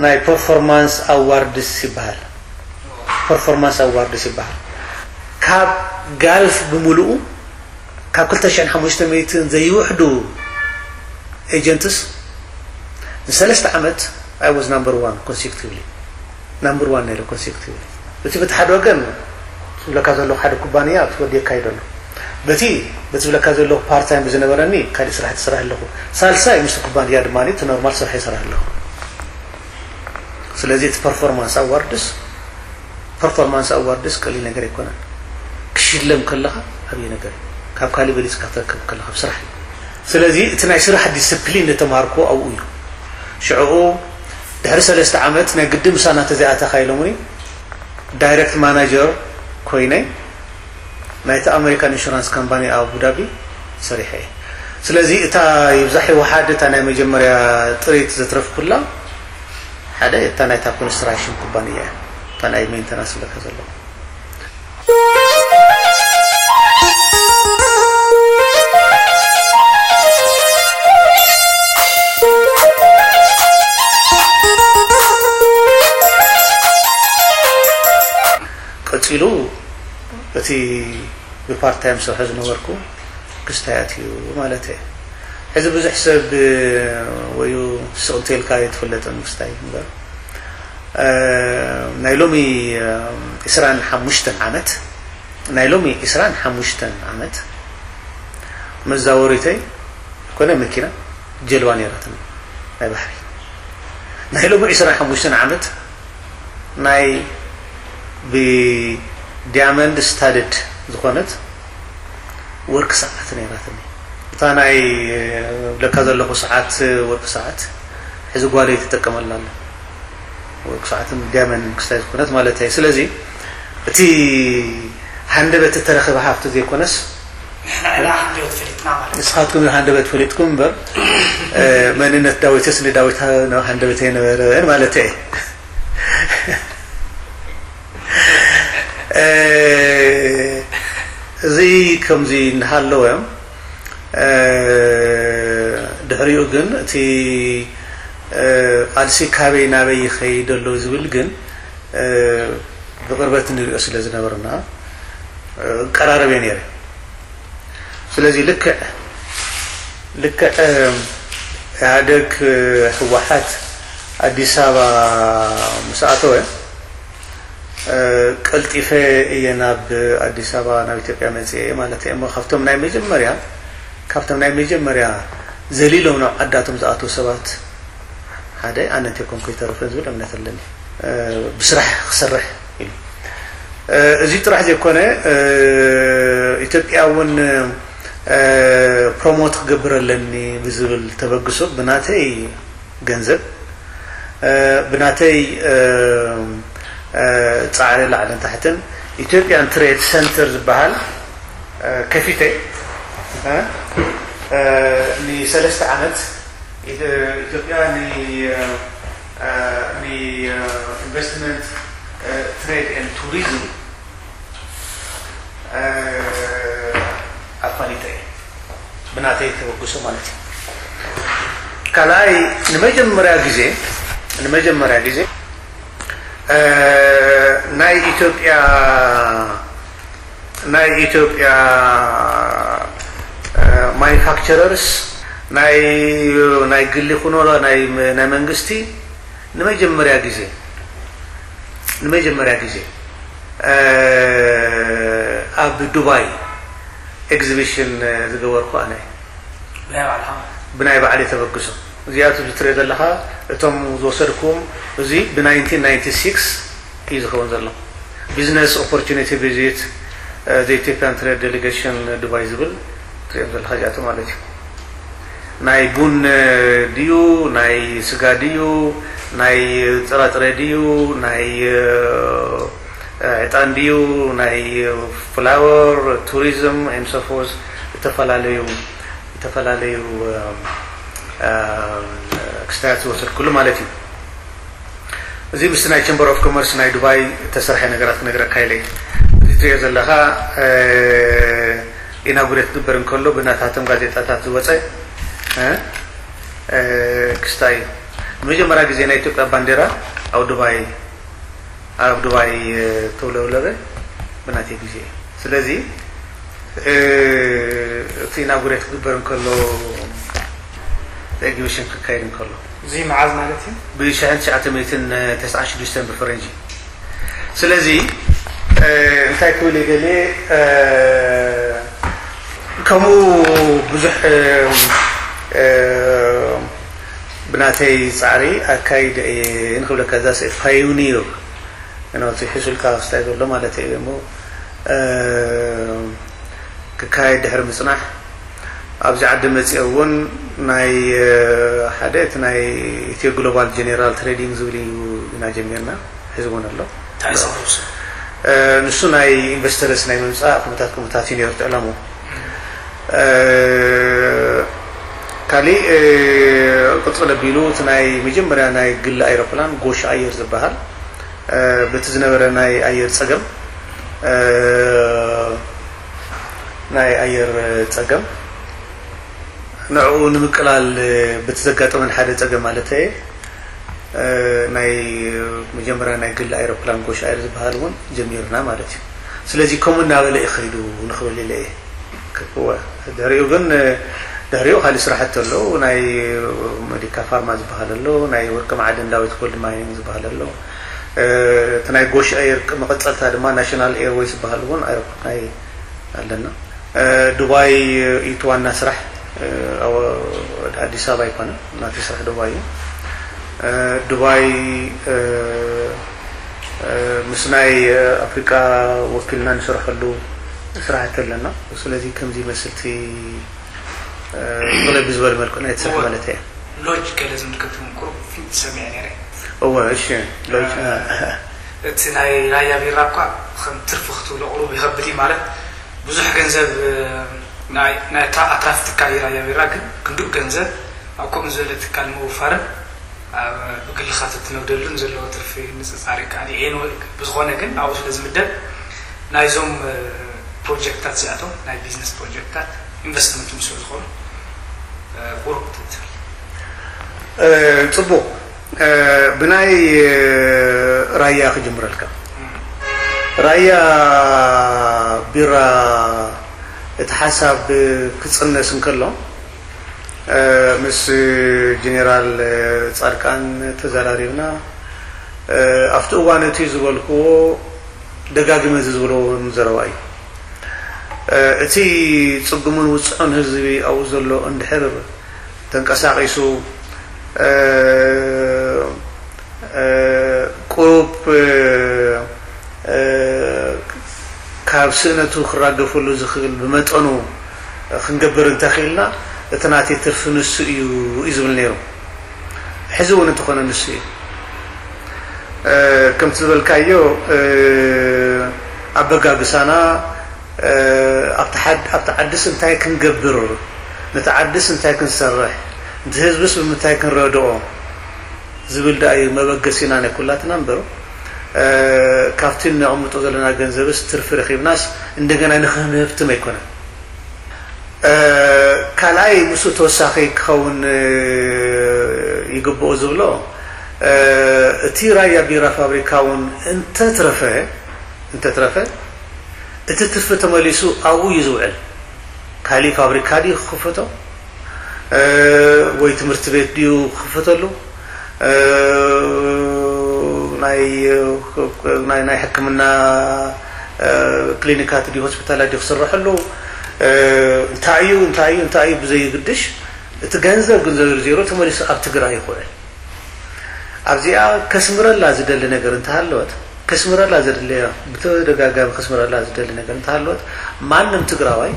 ናይ ፐርፎርማንስ ኣዋርድስ ይበሃል። ፐርፎርማንስ ኣዋርድስ ይበሃል። ካብ ጋልፍ ብምሉኡ፣ ካብ ክልተ ሽሕን ሓሙሽተ ሚእትን ዘይውሕዱ ኤጀንትስ፣ ንሰለስተ ዓመት I was number one consecutively። ናምበር ዋን ነይረ ኮንሴክቲቭሊ። እቲ በቲ ሓደ ወገን ዝብለካ ዘለኹ ሓደ ኩባንያ ኣብቲ ወዲ የካይዶ ኣሎ። በቲ፣ በቲ ዝብለካ ዘለኹ ፓርት ታይም ብዝነበረኒ ካልእ ስራሕ ትሰርሕ ኣለኹ። ሳልሳይ ምስቲ ኩባንያ ድማ እቲ ኖርማል ስራሕ ይሰርሕ ኣለኹ። ስለዚ እቲ ፐርፎርማንስ ኣዋርድስ፣ ፐርፎርማንስ ኣዋርድስ ቀሊል ነገር ኣይኮነን። ክሽለም ከለኻ ዓብዪ ነገር እዩ። ካብ ካልእ በሊፅካ ትረክብ ከለኻ ኣብ ስራሕ እዩ። ስለዚ እቲ ናይ ስራሕ ዲስፕሊን ዝተምሃርኩዎ ኣብኡ እዩ። ሽዕኡ ድሕሪ ሰለስተ ዓመት ናይ ግዲ ምሳና ተዘይኣተኻ ኢሎምኒ፣ ዳይሬክት ማናጀር ኮይነ ናይቲ ኣሜሪካን ኢንሹራንስ ካምፓኒ ኣብ ኣቡዳቢ ሰሪሐ እየ። ስለዚ እታ ይብዛሕ ይውሓድ እታ ናይ መጀመርያ ጥሪት ዘትረፍኩላ ሓደ እታ ናይታ ኮንስትራክሽን ኩባንያ እያ። እታ ናይ ሜንተናንስ ዝብለካ ዘለኹ። ቀጺሉ እቲ ብፓርት ታይም ዝሰርሖ ዝነበርኩ ክስታይ ኣትዩ ማለት እየ። ሕዚ ብዙሕ ሰብ ወዩ ስቕ እንተልካ ኣይትፍለጥን ክስታይ እምበር፣ እ፣ ናይ ሎሚ፣ እ፣ ዕስራን ሓሙሽተን ዓመት፣ ናይ ሎሚ ዕስራን ሓሙሽተን ዓመት መዛወሪተይ ኮነ መኪና ጀልባ ነይራትኒ፣ ናይ ባሕሪ። ናይ ሎሚ ዕስራን ሓሙሽተን ዓመት ናይ ብዲያመንድ ስታድድ ዝኾነት ወርቂ ሰዓት ነይራትኒ። እታ ናይ ብለካ ዘለኹ ሰዓት፣ ወርቂ ሰዓት፣ ሕዚ ጓለይ ትጥቀመላ ኣላ። ወርቂ ሰዓትን ዲያመንድን ክስታይ ዝኾነት ማለት እየ። ስለዚ እቲ ሃንደበት እተረኸበ ሃብቲ ዘይኮነስ፣ ንሕና ኢና ሃንደበት ፈሊጥና ማለት እዩ። ንስኻትኩም ሃንደበት ፈሊጥኩም እምበር፣ እ፣ መንነት ዳዊትስ ንዳዊት ሃ-፣ ሃንደበት ኣይነበረን ማለት እየ። እ፣ እዚ ከምዚ እናሃለወ፣ እ፣ ድሕሪኡ ግን እቲ፣ እ፣ ቃልሲ ካበይ ናበይ ይኸይድ ኣሎ ዝብል ግን ብቕርበት ንሪኦ ስለ ዝነበርና እቀራረብ እየ ነይረ። ስለዚ ልክዕ ልክዕ ኢህኣደግ፣ ህወሓት ኣዲስ ኣበባ ምስ ኣተወ ቀልጢፈ እየ ናብ ኣዲስ ኣበባ፣ ናብ ኢትዮጵያ መፅየ ማለት እየ። እሞ ካብቶም ናይ መጀመርያ ካብቶም ናይ መጀመርያ ዘሊሎም ናብ ዓዳቶም ዝኣተዉ ሰባት ሓደ ኣነ እንተይኮንኩ ይተርፍን ዝብል እምነት ኣለኒ። ብስራሕ ክሰርሕ ኢሉ። እዚ ጥራሕ ዘይኮነ፣ ኢትዮጵያ እውን ፕሮሞት ክገብር ኣለኒ ብዝብል ተበግሶ ብናተይ ገንዘብ፣ ብናተይ ፃዕሪ ላዕልን ታሕትን ኢትዮጵያን ትሬድ ሰንተር ዝበሃል ከፊተ ንሰለስተ ዓመት ኢትዮጵያ ንኢንቨስትመንት፣ ትሬድ ኤንድ ቱሪዝም ኣፋሊጠ እየ። ብናተይ ተበግሶ ማለት እዩ። ካልኣይ ንመጀመርያ ግዜ ንመጀመርያ ግዜ ናይ ኢትዮጵያ ናይ ኢትዮጵያ ማኑፋክቸረርስ ናይ ናይ ግሊ ኩኖ ናይ ናይ መንግስቲ ንመጀመርያ ግዜ ንመጀመርያ ግዜ ኣብ ዱባይ ኤግዚቢሽን ዝገበርኩ ኣነ እየ። ብናይ ባዕልኻ? ብናይ ባዕለይ ተበግሶ። እዚኣቱ ትሪኦ ዘለኻ እቶም ዝወሰድኩም እዚ ብ ናይንቲን ናይንቲ ሲክስ እዩ ዝኸውን ዘሎ። ቢዝነስ ኦፖርቹኒቲ ቪዚት፣ ዘ ኢትዮጵያን ትሬድ ዴሊጌሽን ዱባይ ዝብል ትሪኦም ዘለኻ እዚኣቱ ማለት እዩ። ናይ ቡን ድዩ፣ ናይ ስጋ ድዩ፣ ናይ ጥራጥረ ድዩ፣ ናይ ዕጣን ድዩ፣ ናይ ፍላወር፣ ቱሪዝም ኤንድ ሶፎርስ፣ ዝተፈላለዩ ዝተፈላለዩ ክስታያት ዝወሰድኩሉ ማለት እዩ። እዚ ምስ ናይ ቸምበር ኦፍ ኮመርስ ናይ ዱባይ እተሰርሐ ነገራት ክነግረካ ኢለ። እዚ ትሪኦ ዘለኻ ኢናጉሬት ክግበር እንከሎ ብናታቶም ጋዜጣታት ዝወፀ ክስታይ እዩ። ንመጀመርያ ግዜ ናይ ኢትዮጵያ ባንዴራ ኣብ ዱባይ ኣብ ዱባይ ተውለብለበ ብናተይ ግዜ እዩ። ስለዚ እቲ ኢናጉሬት ክግበር እንከሎ ኤግዚቢሽን ክካየድ እንከሎ እዚ መዓዝ ማለት እዩ? ብ ሽሕን ትሽዓተ ሚእትን ተስዓን ሽዱሽተን ብፈረንጂ። ስለዚ እንታይ ክብል ይደልየ፣ ከምኡ ብዙሕ ብናተይ ፃዕሪ ኣካይደ እየ ንክብለካ እዛ ፓዮኒር ናብቲ ሕሱልካ ክስታይ ዘሎ ማለት እዩ እሞ ክካየድ ድሕሪ ምፅናሕ ኣብዚ ዓዲ መፅኦ እውን ናይ ሓደ እቲ ናይ ኢትዮ ግሎባል ጀኔራል ትሬዲንግ ዝብል እዩ ኢና ጀሚርና። ሕዚ እውን ኣሎ። ንሱ ናይ ኢንቨስተርስ ናይ ምምፃእ ከምታት ከምታት እዩ ነይሩ ዕላሙ። ካሊእ ቅፅል ኣቢሉ እቲ ናይ መጀመርያ ናይ ግሊ ኣይሮፕላን ጎሽ ኣየር ዝበሃል በቲ ዝነበረ ናይ ኣየር ፀገም ናይ ኣየር ፀገም ንዕኡ ንምቅላል በቲ ዘጋጠመን ሓደ ፀገም ማለት እየ ናይ መጀመርያ ናይ ግሊ ኣይሮፕላን ጎሽ ኣየር ዝበሃል እውን ጀሚርና ማለት እዩ። ስለዚ ከምኡ እናበለ እዩ ከይዱ ንኽብል ኢለ እየ። ድሕሪኡ ግን ድሕሪኡ ካልእ ስራሕቲ ኣለዉ። ናይ መዲካ ፋርማ ዝበሃል ኣሎ፣ ናይ ወርቂ ማዕድን ዳዊት ጎልድ ማይኒንግ ዝበሃል ኣሎ። እቲ ናይ ጎሽ ኤር መቐፀልታ ድማ ናሽናል ኤርዌይስ ዝበሃል እውን ኣይሮፕላን ናይ ኣለና። ዱባይ እዩ እቲ ዋና ስራሕ፣ ኣዲስ ኣበባ ኣይኮነን ናተይ ስራሕ ዱባይ እዩ። ዱባይ ምስ ናይ ኣፍሪቃ ወኪልና ንሰርሐሉ ስራሕቲ ኣለና። ስለዚ ከምዚ ይመስል እቲ ቅልል ብዝበለ መልክዑ ናይ ትሰርሕ ማለት እየ። ሎጅ ገለ ዝምልከት እውን ቁሩብ ፍንጭ ሰሚዐ ነይረ። እወ፣ እሺ፣ ሎጅ፣ እ፣ እቲ ናይ ራያ ቢራ እኳ ከም ትርፊ ክትብሎ ቁሩብ ይኸብድ እዩ። ማለት ብዙሕ ገንዘብ ናይ ናይ ኣትራፊ ትካል እዩ ራያ ቢራ፣ ግን ክንድኡ ገንዘብ ኣብ ከምኡ ዝበለ ትካል ምውፋርን ኣብ ብግልኻ ተትነግደሉን ዘለዎ ትርፊ ንፅፃር ይከኣል እዩ። ኤንወ-፣ ብዝኾነ ግን ኣብኡ ስለ ዝምደብ ናይዞም ፕሮጀክታት እዚኣቶም ናይ ቢዝነስ ፕሮጀክታት ኢንቨስትመንት ምስ ዝኾኑ ቁሩብ ክትብል። ጽቡቕ። ብናይ ራያ ክጅምረልካ። ራያ ቢራ እቲ ሓሳብ ክፅነስ እንከሎ፣ ምስ ጀኔራል ፃድቃን ተዘራሪብና። ኣብቲ እዋን እቲ ዝበልክዎ ደጋግመ እዚ ዝብሎ እውን ዘረባ እዩ። እቲ ፅጉምን ውፅዑን ህዝቢ ኣብኡ ዘሎ እንድሕር ተንቀሳቒሱ፣ ቁሩብ ካብ ስእነቱ ክራገፈሉ ዝኽእል ብመጠኑ ክንገብር እንተኽኢልና፣ እቲ ናተይ ትርፊ ንሱ እዩ፣ እዩ ዝብል ነይሩ። ሕዚ እውን እንተኾነ ንሱ እዩ። ከምቲ ዝበልካዮ፣ ኣበጋግሳና፣ ኣብቲ ዓድስ እንታይ ክንገብር፣ ነቲ ዓድስ እንታይ ክንሰርሕ፣ ነቲ ህዝብስ ብምንታይ ክንረድኦ ዝብል ደኣ እዩ መበገሲና ናይ ኩላትና እምበር፣ ካብቲ ነቕምጦ ዘለና ገንዘብስ ትርፊ ረኺብናስ እንደገና ንኽንህብትም ኣይኮነን። ካልኣይ፣ ምስኡ ተወሳኺ ክኸውን ይግብኦ ዝብሎ፣ እቲ ራያ ቢራ ፋብሪካ እውን እንተትረፈ፣ እንተትረፈ፣ እቲ ትርፊ ተመሊሱ ኣብኡ እዩ ዝውዕል። ካሊእ ፋብሪካ ድዩ ክኽፈቶ? ወይ ትምህርቲ ቤት ድዩ ክኽፈተሉ? ናይ፣ ናይ፣ ናይ ሕክምና ክሊኒካት ድዩ ሆስፒታላት ድዩ ክስረሐሉ? እንታይ እዩ፣ እንታይ እዩ፣ እንታይ እዩ ብዘይግድሽ፣ እቲ ገንዘብ ግን ዘርዚሩ ተመሊሱ ኣብ ትግራይ ይኽውዕል። ኣብዚኣ ከስምረላ ዝደሊ ነገር እንተሃለወት፣ ከስምረላ ዘድለያ፣ ብተደጋጋሚ ከስምረላ ዝደሊ ነገር እንተሃለወት፣ ማንም ትግራዋይ፣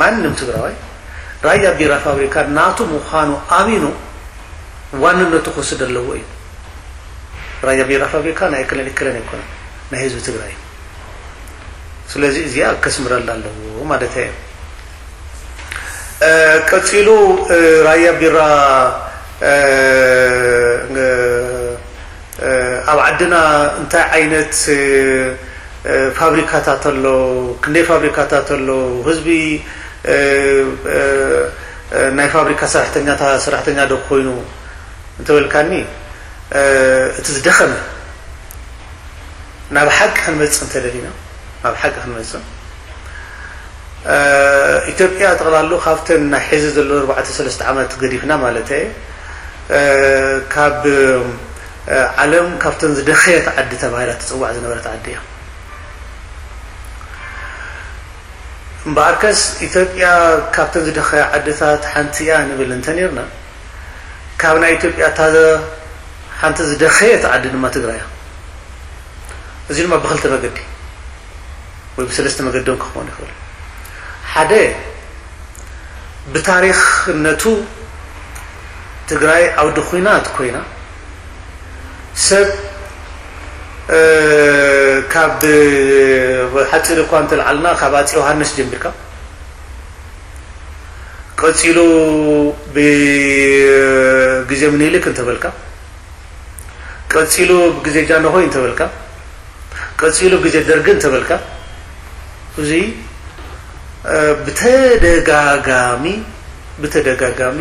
ማንም ትግራዋይ ራያ ቢራ ፋብሪካ ናቱ ምዃኑ ኣሚኑ ዋንነቱ ክወስድ ኣለዎ እዩ። ራያ ቢራ ፋብሪካ ናይ እክለን እክለን ኣይኮነን፣ ናይ ህዝቢ ትግራይ እዩ። ስለዚ እዚኣ ከስምረላ ኣለዎ ማለት እዩ። ቀፂሉ ራያ ቢራ ኣብ ዓድና እንታይ ዓይነት ፋብሪካታት ኣሎ፣ ክንደይ ፋብሪካታት ኣሎ፣ ህዝቢ ናይ ፋብሪካ ሰራሕተኛታ ሰራሕተኛ ዶ ኮይኑ እንተበልካኒ፣ እቲ ዝደኸመ፣ ናብ ሓቂ ክንመጽእ እንተደሊና፣ ናብ ሓቂ ክንመጽእ፣ ኢትዮጵያ ጠቕላሉ ካብተን ናይ ሕዚ ዘሎ ኣርባዕተ ሰለስተ ዓመት ገዲፍና ማለት እየ፣ ካብ ዓለም ካብተን ዝደኸየት ዓዲ ተባሂላ ትጽዋዕ ዝነበረት ዓዲ እያ። እምበኣርከስ ኢትዮጵያ ካብተን ዝደኸያ ዓድታት ሓንቲ እያ ንብል እንተኔርና፣ ካብ ናይ ኢትዮጵያ እታ ሓንቲ ዝደኸየት ዓዲ ድማ ትግራይ እያ። እዚ ድማ ብኽልተ መገዲ ወይ ብሰለስተ መገዲ እውን ክኸውን ይኽእል። ሓደ፣ ብታሪኽነቱ ትግራይ ዓውዲ ኲናት ኮይና፣ ሰብ ካብ ሓፂር እኳ እንተልዓልና ካብ ኣፂ ዮሃንስ ጀሚርካ፣ ቀፂሉ ብግዜ ምኒልክ እንተበልካ፣ ቀፂሉ ብግዜ ጃንሆይ እንተበልካ፣ ቀፂሉ ብግዜ ደርጊ እንተበልካ፣ እዚ ብተደጋጋሚ ብተደጋጋሚ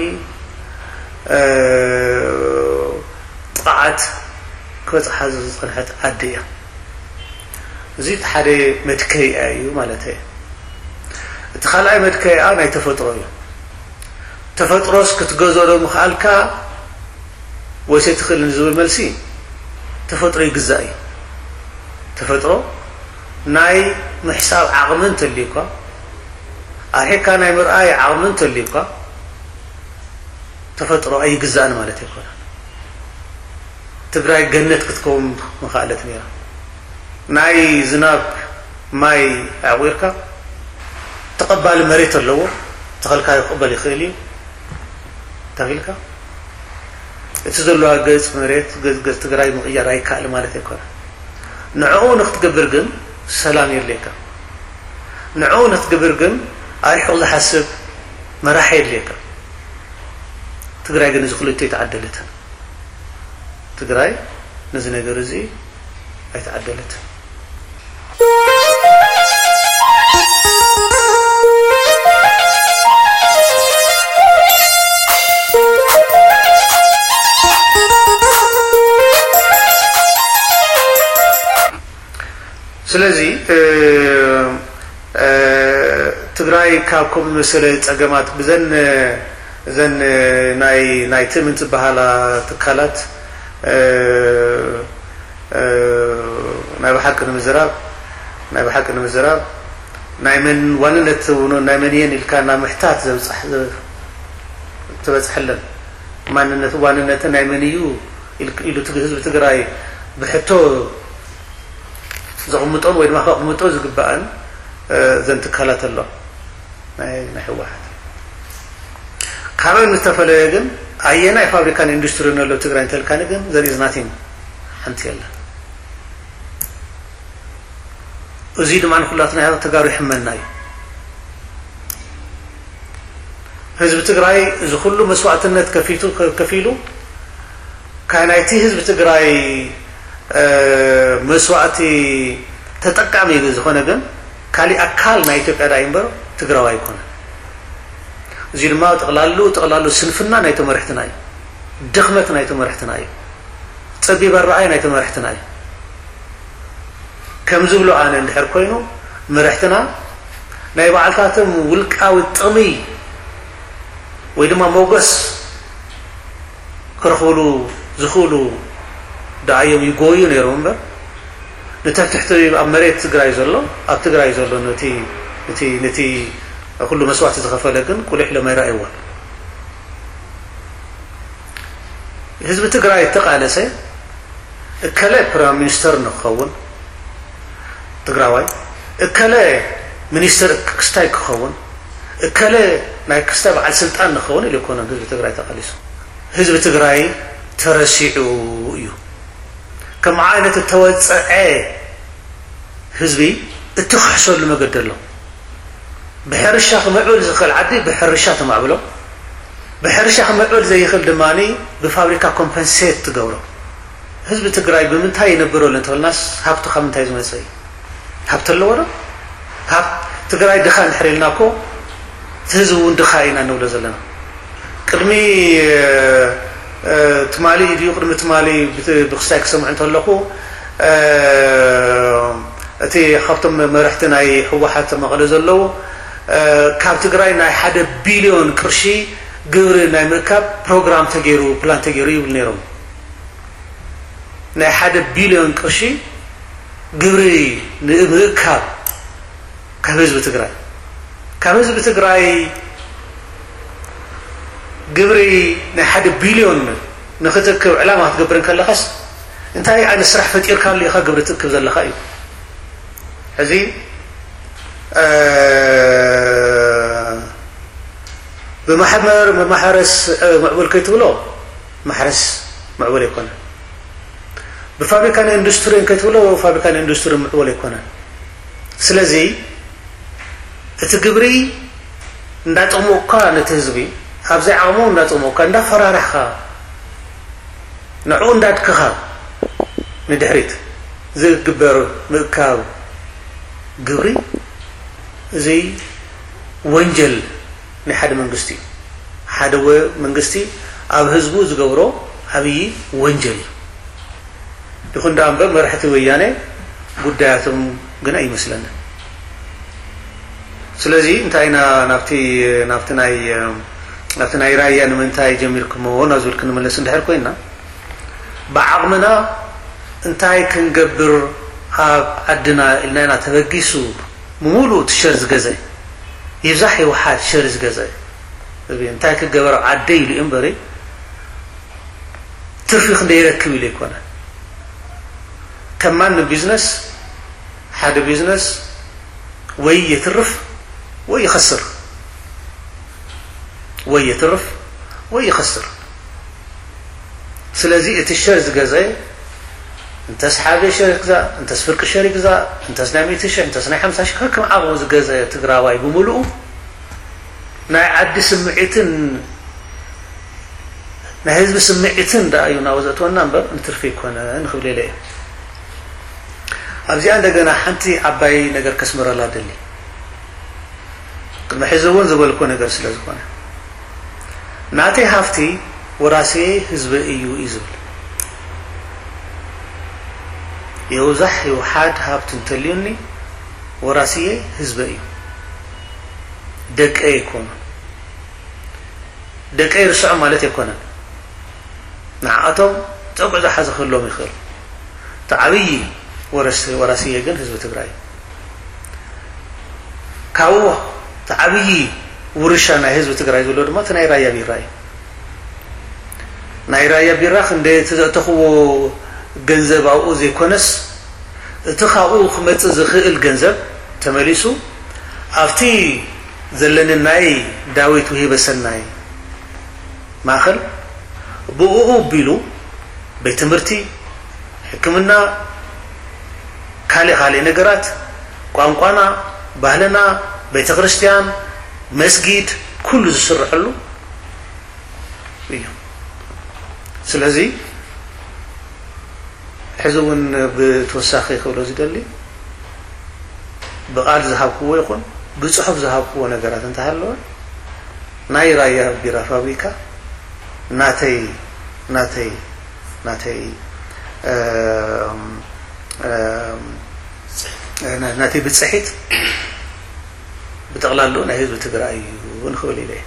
ጥቕዓት ክበፅሓ ዝፀንሐት ዓዲ እያ። እዚ እቲ ሓደ መድከይኣ እዩ ማለት እዩ። እቲ ካልኣይ መድከይኣ ናይ ተፈጥሮ እዩ። ተፈጥሮስ ክትገዝኦ ዶ ምኽኣልካ ወይስ ኣይትኽእልን ዝብል መልሲ፣ ተፈጥሮ ይግዛእ እዩ። ተፈጥሮ ናይ ምሕሳብ ዓቕሚ እንተልዩካ፣ ኣርሒቕካ ናይ ምርኣይ ዓቕሚ እንተልዩካ፣ ተፈጥሮ ኣይግዛእን ማለት ኣይኮነን። ትግራይ ገነት ክትከውን ምኽኣለት ነይራ። ናይ ዝናብ ማይ ኣዕቑርካ፣ ተቐባሊ መሬት ኣለዎ፣ ተኸልካዮ ክቕበል ይኽእል እዩ። ተኺልካ፣ እቲ ዘለዋ ገፅ መሬት፣ ገፅ፣ ገፅ ትግራይ ምቕያር ኣይከኣል ማለት ኣይኮነን። ንዕኡ ንክትገብር ግን ሰላም የድልየካ። ንዕኡ ንክትገብር ግን ኣርሒቑ ዝሓስብ መራሒ የድልየካ። ትግራይ ግን እዚ ክልቲኡ ኣይተዓደለትን። ትግራይ ነዚ ነገር እዚ ኣይተዓደለትን። ስለዚ ትግራይ ካብ ከምኡ ዝመሰለ ፀገማት ብዘን እዘን ናይ ናይ ትእምንት ዝበሃላ ትካላት ናይ ብሓቂ ንምዝራብ ናይ ብሓቂ ንምዝራብ ናይ መን ዋንነት ናይ መን እየን ኢልካ ናብ ምሕታት ዘብፅሕ ትበፅሐለን። ማንነት ዋንነት ናይ መን እዩ ኢሉ ህዝቢ ትግራይ ብሕቶ ዘቕምጦን ወይ ድማ ከቕምጦ ዝግባኣን እዘን ትካላት ኣሎ ናይ ህወሓት። ካብአን ዝተፈለየ ግን ኣየናይ ፋብሪካን ኢንዱስትሪን ኣሎ ትግራይ እንተልካኒ ግን ዘር ኢዝ ናቲንግ ሓንቲ የለን። እዚ ድማ ንኩላትና ተጋሩ ይሕመና እዩ። ህዝቢ ትግራይ እዚ ኩሉ መስዋእትነት ከፊቱ ከፊሉ ካብ ናይቲ ህዝቢ ትግራይ መስዋእቲ ተጠቃሚ ዝኾነ ግን ካሊእ ኣካል ናይ ኢትዮጵያ ዳኣ እምበር ትግራዊ ኣይኮነን። እዚ ድማ ጠቕላሉ ጠቕላሉ ስንፍና ናይ ተመርሕትና እዩ። ድኽመት ናይ ተመርሕትና እዩ። ፀቢብ ኣረኣይ ናይ ተመርሕትና እዩ። ከም ዝብሎ ኣነ እንድሕር ኮይኑ መርሕትና ናይ ባዕልታቶም ውልቃዊ ጥቕሚ ወይ ድማ ሞገስ ክረኽብሉ ዝኽእሉ ደኣ እዮም ይጎዩ ነይሮም እምበር ንተሕትሕቲ ኣብ መሬት ትግራይ ዘሎ ኣብ ትግራይ ዘሎ ነቲ ነቲ ነቲ ኩሉ መስዋዕቲ ዝኸፈለ ግን ቁሊሕ ኢሎም ኣይረኣይዎን። ህዝቢ ትግራይ እተቃለሰ እከለ ፕራይም ሚኒስተር ንክኸውን ትግራዋይ እከለ ሚኒስተር ክስታይ ክኸውን እከለ ናይ ክስታይ በዓል ስልጣን ንክኸውን ኢሉ ኣይኮነን ህዝቢ ትግራይ ተቃሊሱ። ህዝቢ ትግራይ ተረሲዑ እዩ። ከም ዓይነት እተወፀዐ ህዝቢ እትኽሕሰሉ መገዲ ኣሎ። ብሕርሻ ክምዕብል ዝኽእል ዓዲ ብሕርሻ ተማዕብሎ። ብሕርሻ ክምዕብል ዘይኽእል ድማ ብፋብሪካ ኮምፐንሴት ትገብሮ። ህዝቢ ትግራይ ብምንታይ ይነብር ኣሎ እንተበልናስ ሃብቱ ካብ ምንታይ ዝመፀ እዩ? ሃብቲ ኣለዎ ዶ? ሃብ ትግራይ ድኻ እንድሕር ኢልና እኮ እቲ ህዝቢ እውን ድኻ ኢና እንብሎ ዘለና። ቅድሚ ትማሊ ድዩ ቅድሚ ትማሊ ብክስታይ ክሰምዑ እንተለኹ እቲ ካብቶም መርሕቲ ናይ ህወሓት መቐለ ዘለዉ ካብ ትግራይ ናይ ሓደ ቢልዮን ቅርሺ ግብሪ ናይ ምእካብ ፕሮግራም ተገይሩ ፕላን ተገይሩ ይብል ነይሮም። ናይ ሓደ ቢልዮን ቅርሺ ግብሪ ንምእካብ ካብ ህዝቢ ትግራይ ካብ ህዝቢ ትግራይ ግብሪ ናይ ሓደ ቢልዮን ንክትእክብ ዕላማ ክትገብር እንከለኻስ እንታይ ዓይነት ስራሕ ፈጢርካሉ ኢኻ ግብሪ ትእክብ ዘለኻ እዩ። ሕዚ ብማሕበር መማሓረስ ምዕቡል ከይትብሎ ማሕረስ ምዕቡል ኣይኮነን። ብፋብሪካን ኢንዱስትሪን ከይትብሎ ፋብሪካን ኢንዱስትሪን ምዕቡል ኣይኮነን። ስለዚ እቲ ግብሪ እንዳጠቕሞካ ነቲ ህዝቢ ኣብዘይ ዓቕሙ እንዳጠቕሞካ እንዳፈራራሕካ ንዕኡ እንዳድክኻ ንድሕሪት ዝግበር ምእካብ ግብሪ እዚ ወንጀል ናይ ሓደ መንግስቲ እዩ። ሓደ መንግስቲ ኣብ ህዝቡ ዝገብሮ ዓብዪ ወንጀል እዩ። ይኹን ደኣ እምበር መራሕቲ ወያነ ጉዳያቶም ግን ኣይመስለንን። ስለዚ እንታይ ኢና ናብቲ ናብቲ ናይ ናብቲ ናይ ራያ ንምንታይ ጀሚርኩሞ ናብ ዝብል ክንምለስ እንድሕር ኮይና ብዓቕምና እንታይ ክንገብር ኣብ ዓድና ኢልና ኢና ተበጊሱ ብምሉእ እቲ ሸር ዝገዘ ይብዛሕ ይውሓድ ሸር ዝገዘ እንታይ ክገበር ኣብ ዓደይ ኢሉ እዩ እምበሪ ትርፊ ክንደይ ይረክብ ኢሉ ኣይኮነ። ከም ማንም ቢዝነስ ሓደ ቢዝነስ ወይ የትርፍ ወይ ይኸስር ወይ የትርፍ ወይ ይኸስር። ስለዚ እቲ ሸር ዝገዘ እንተስ ሓደ ሸር ይግዛእ እንተስ ፍርቂ ሸር ይግዛእ እንተስ ናይ ሚእቲ ሽሕ እንተስ ናይ ሓምሳ ሽሕ ከከም ዓቕሙ ዝገዘ ትግራዋይ ብምሉኡ ናይ ዓዲ ስምዒትን ናይ ህዝቢ ስምዒትን ደኣ እዩ ናብኡ ዘእትወና እምበር ንትርፊ ኣይኮነን ክብል ኢለ እየ። ኣብዚኣ እንደገና ሓንቲ ዓባይ ነገር ከስምረላ ደሊ ቅድሚ ሕዚ እውን ዝበልኮ ነገር ስለ ዝኾነ ናተይ ሃፍቲ ወራሲ ህዝቢ እዩ እዩ ዝብል የውዛሕ ይውሓድ ሃብቲ እንተልዩኒ፣ ወራስየይ ህዝበይ እዩ። ደቀይ ኣይኮኑን። ደቀይ ርስዖም ማለት ኣይኮነን። ንዓኣቶም ጸጉዒ ዝሓዘ ክህልዎም ይኽእል። እቲ ዓብዪ ወረስ-፣ ወራስየ ግን ህዝቢ ትግራይ እዩ። ካብኡ እቲ ዓብዪ ውርሻ ናይ ህዝቢ ትግራይ ዝብሎ ድማ እቲ ናይ ራያ ቢራ እዩ። ናይ ራያ ቢራ ክንደይ እቲ ዘእተኽዎ ገንዘብ ኣብኡ ዘይኮነስ፣ እቲ ካብኡ ክመጽእ ዝኽእል ገንዘብ ተመሊሱ ኣብቲ ዘለኒ ናይ ዳዊት ውሂበ ሰናይ ማእኸል ብእኡ ኣቢሉ ቤት ትምህርቲ፣ ሕክምና፣ ካልእ ካልእ ነገራት፣ ቋንቋና፣ ባህልና፣ ቤተ ክርስቲያን፣ መስጊድ፣ ኩሉ ዝስርሐሉ እዩ። ስለዚ ሕዚ እውን ብተወሳኺ ክብሎ ዝደሊ፣ ብቓል ዝሃብክዎ ይኹን ብጽሑፍ ዝሃብክዎ ነገራት እንተሃለወ፣ ናይ ራያ ቢራ ፋብሪካ ናተይ፣ ናተይ፣ ናተይ፣ እም፣ እም፣ ናተይ ብጽሒት ብጠቕላሉ ናይ ህዝቢ ትግራይ እዩ ንኽብል ኢለ እየ።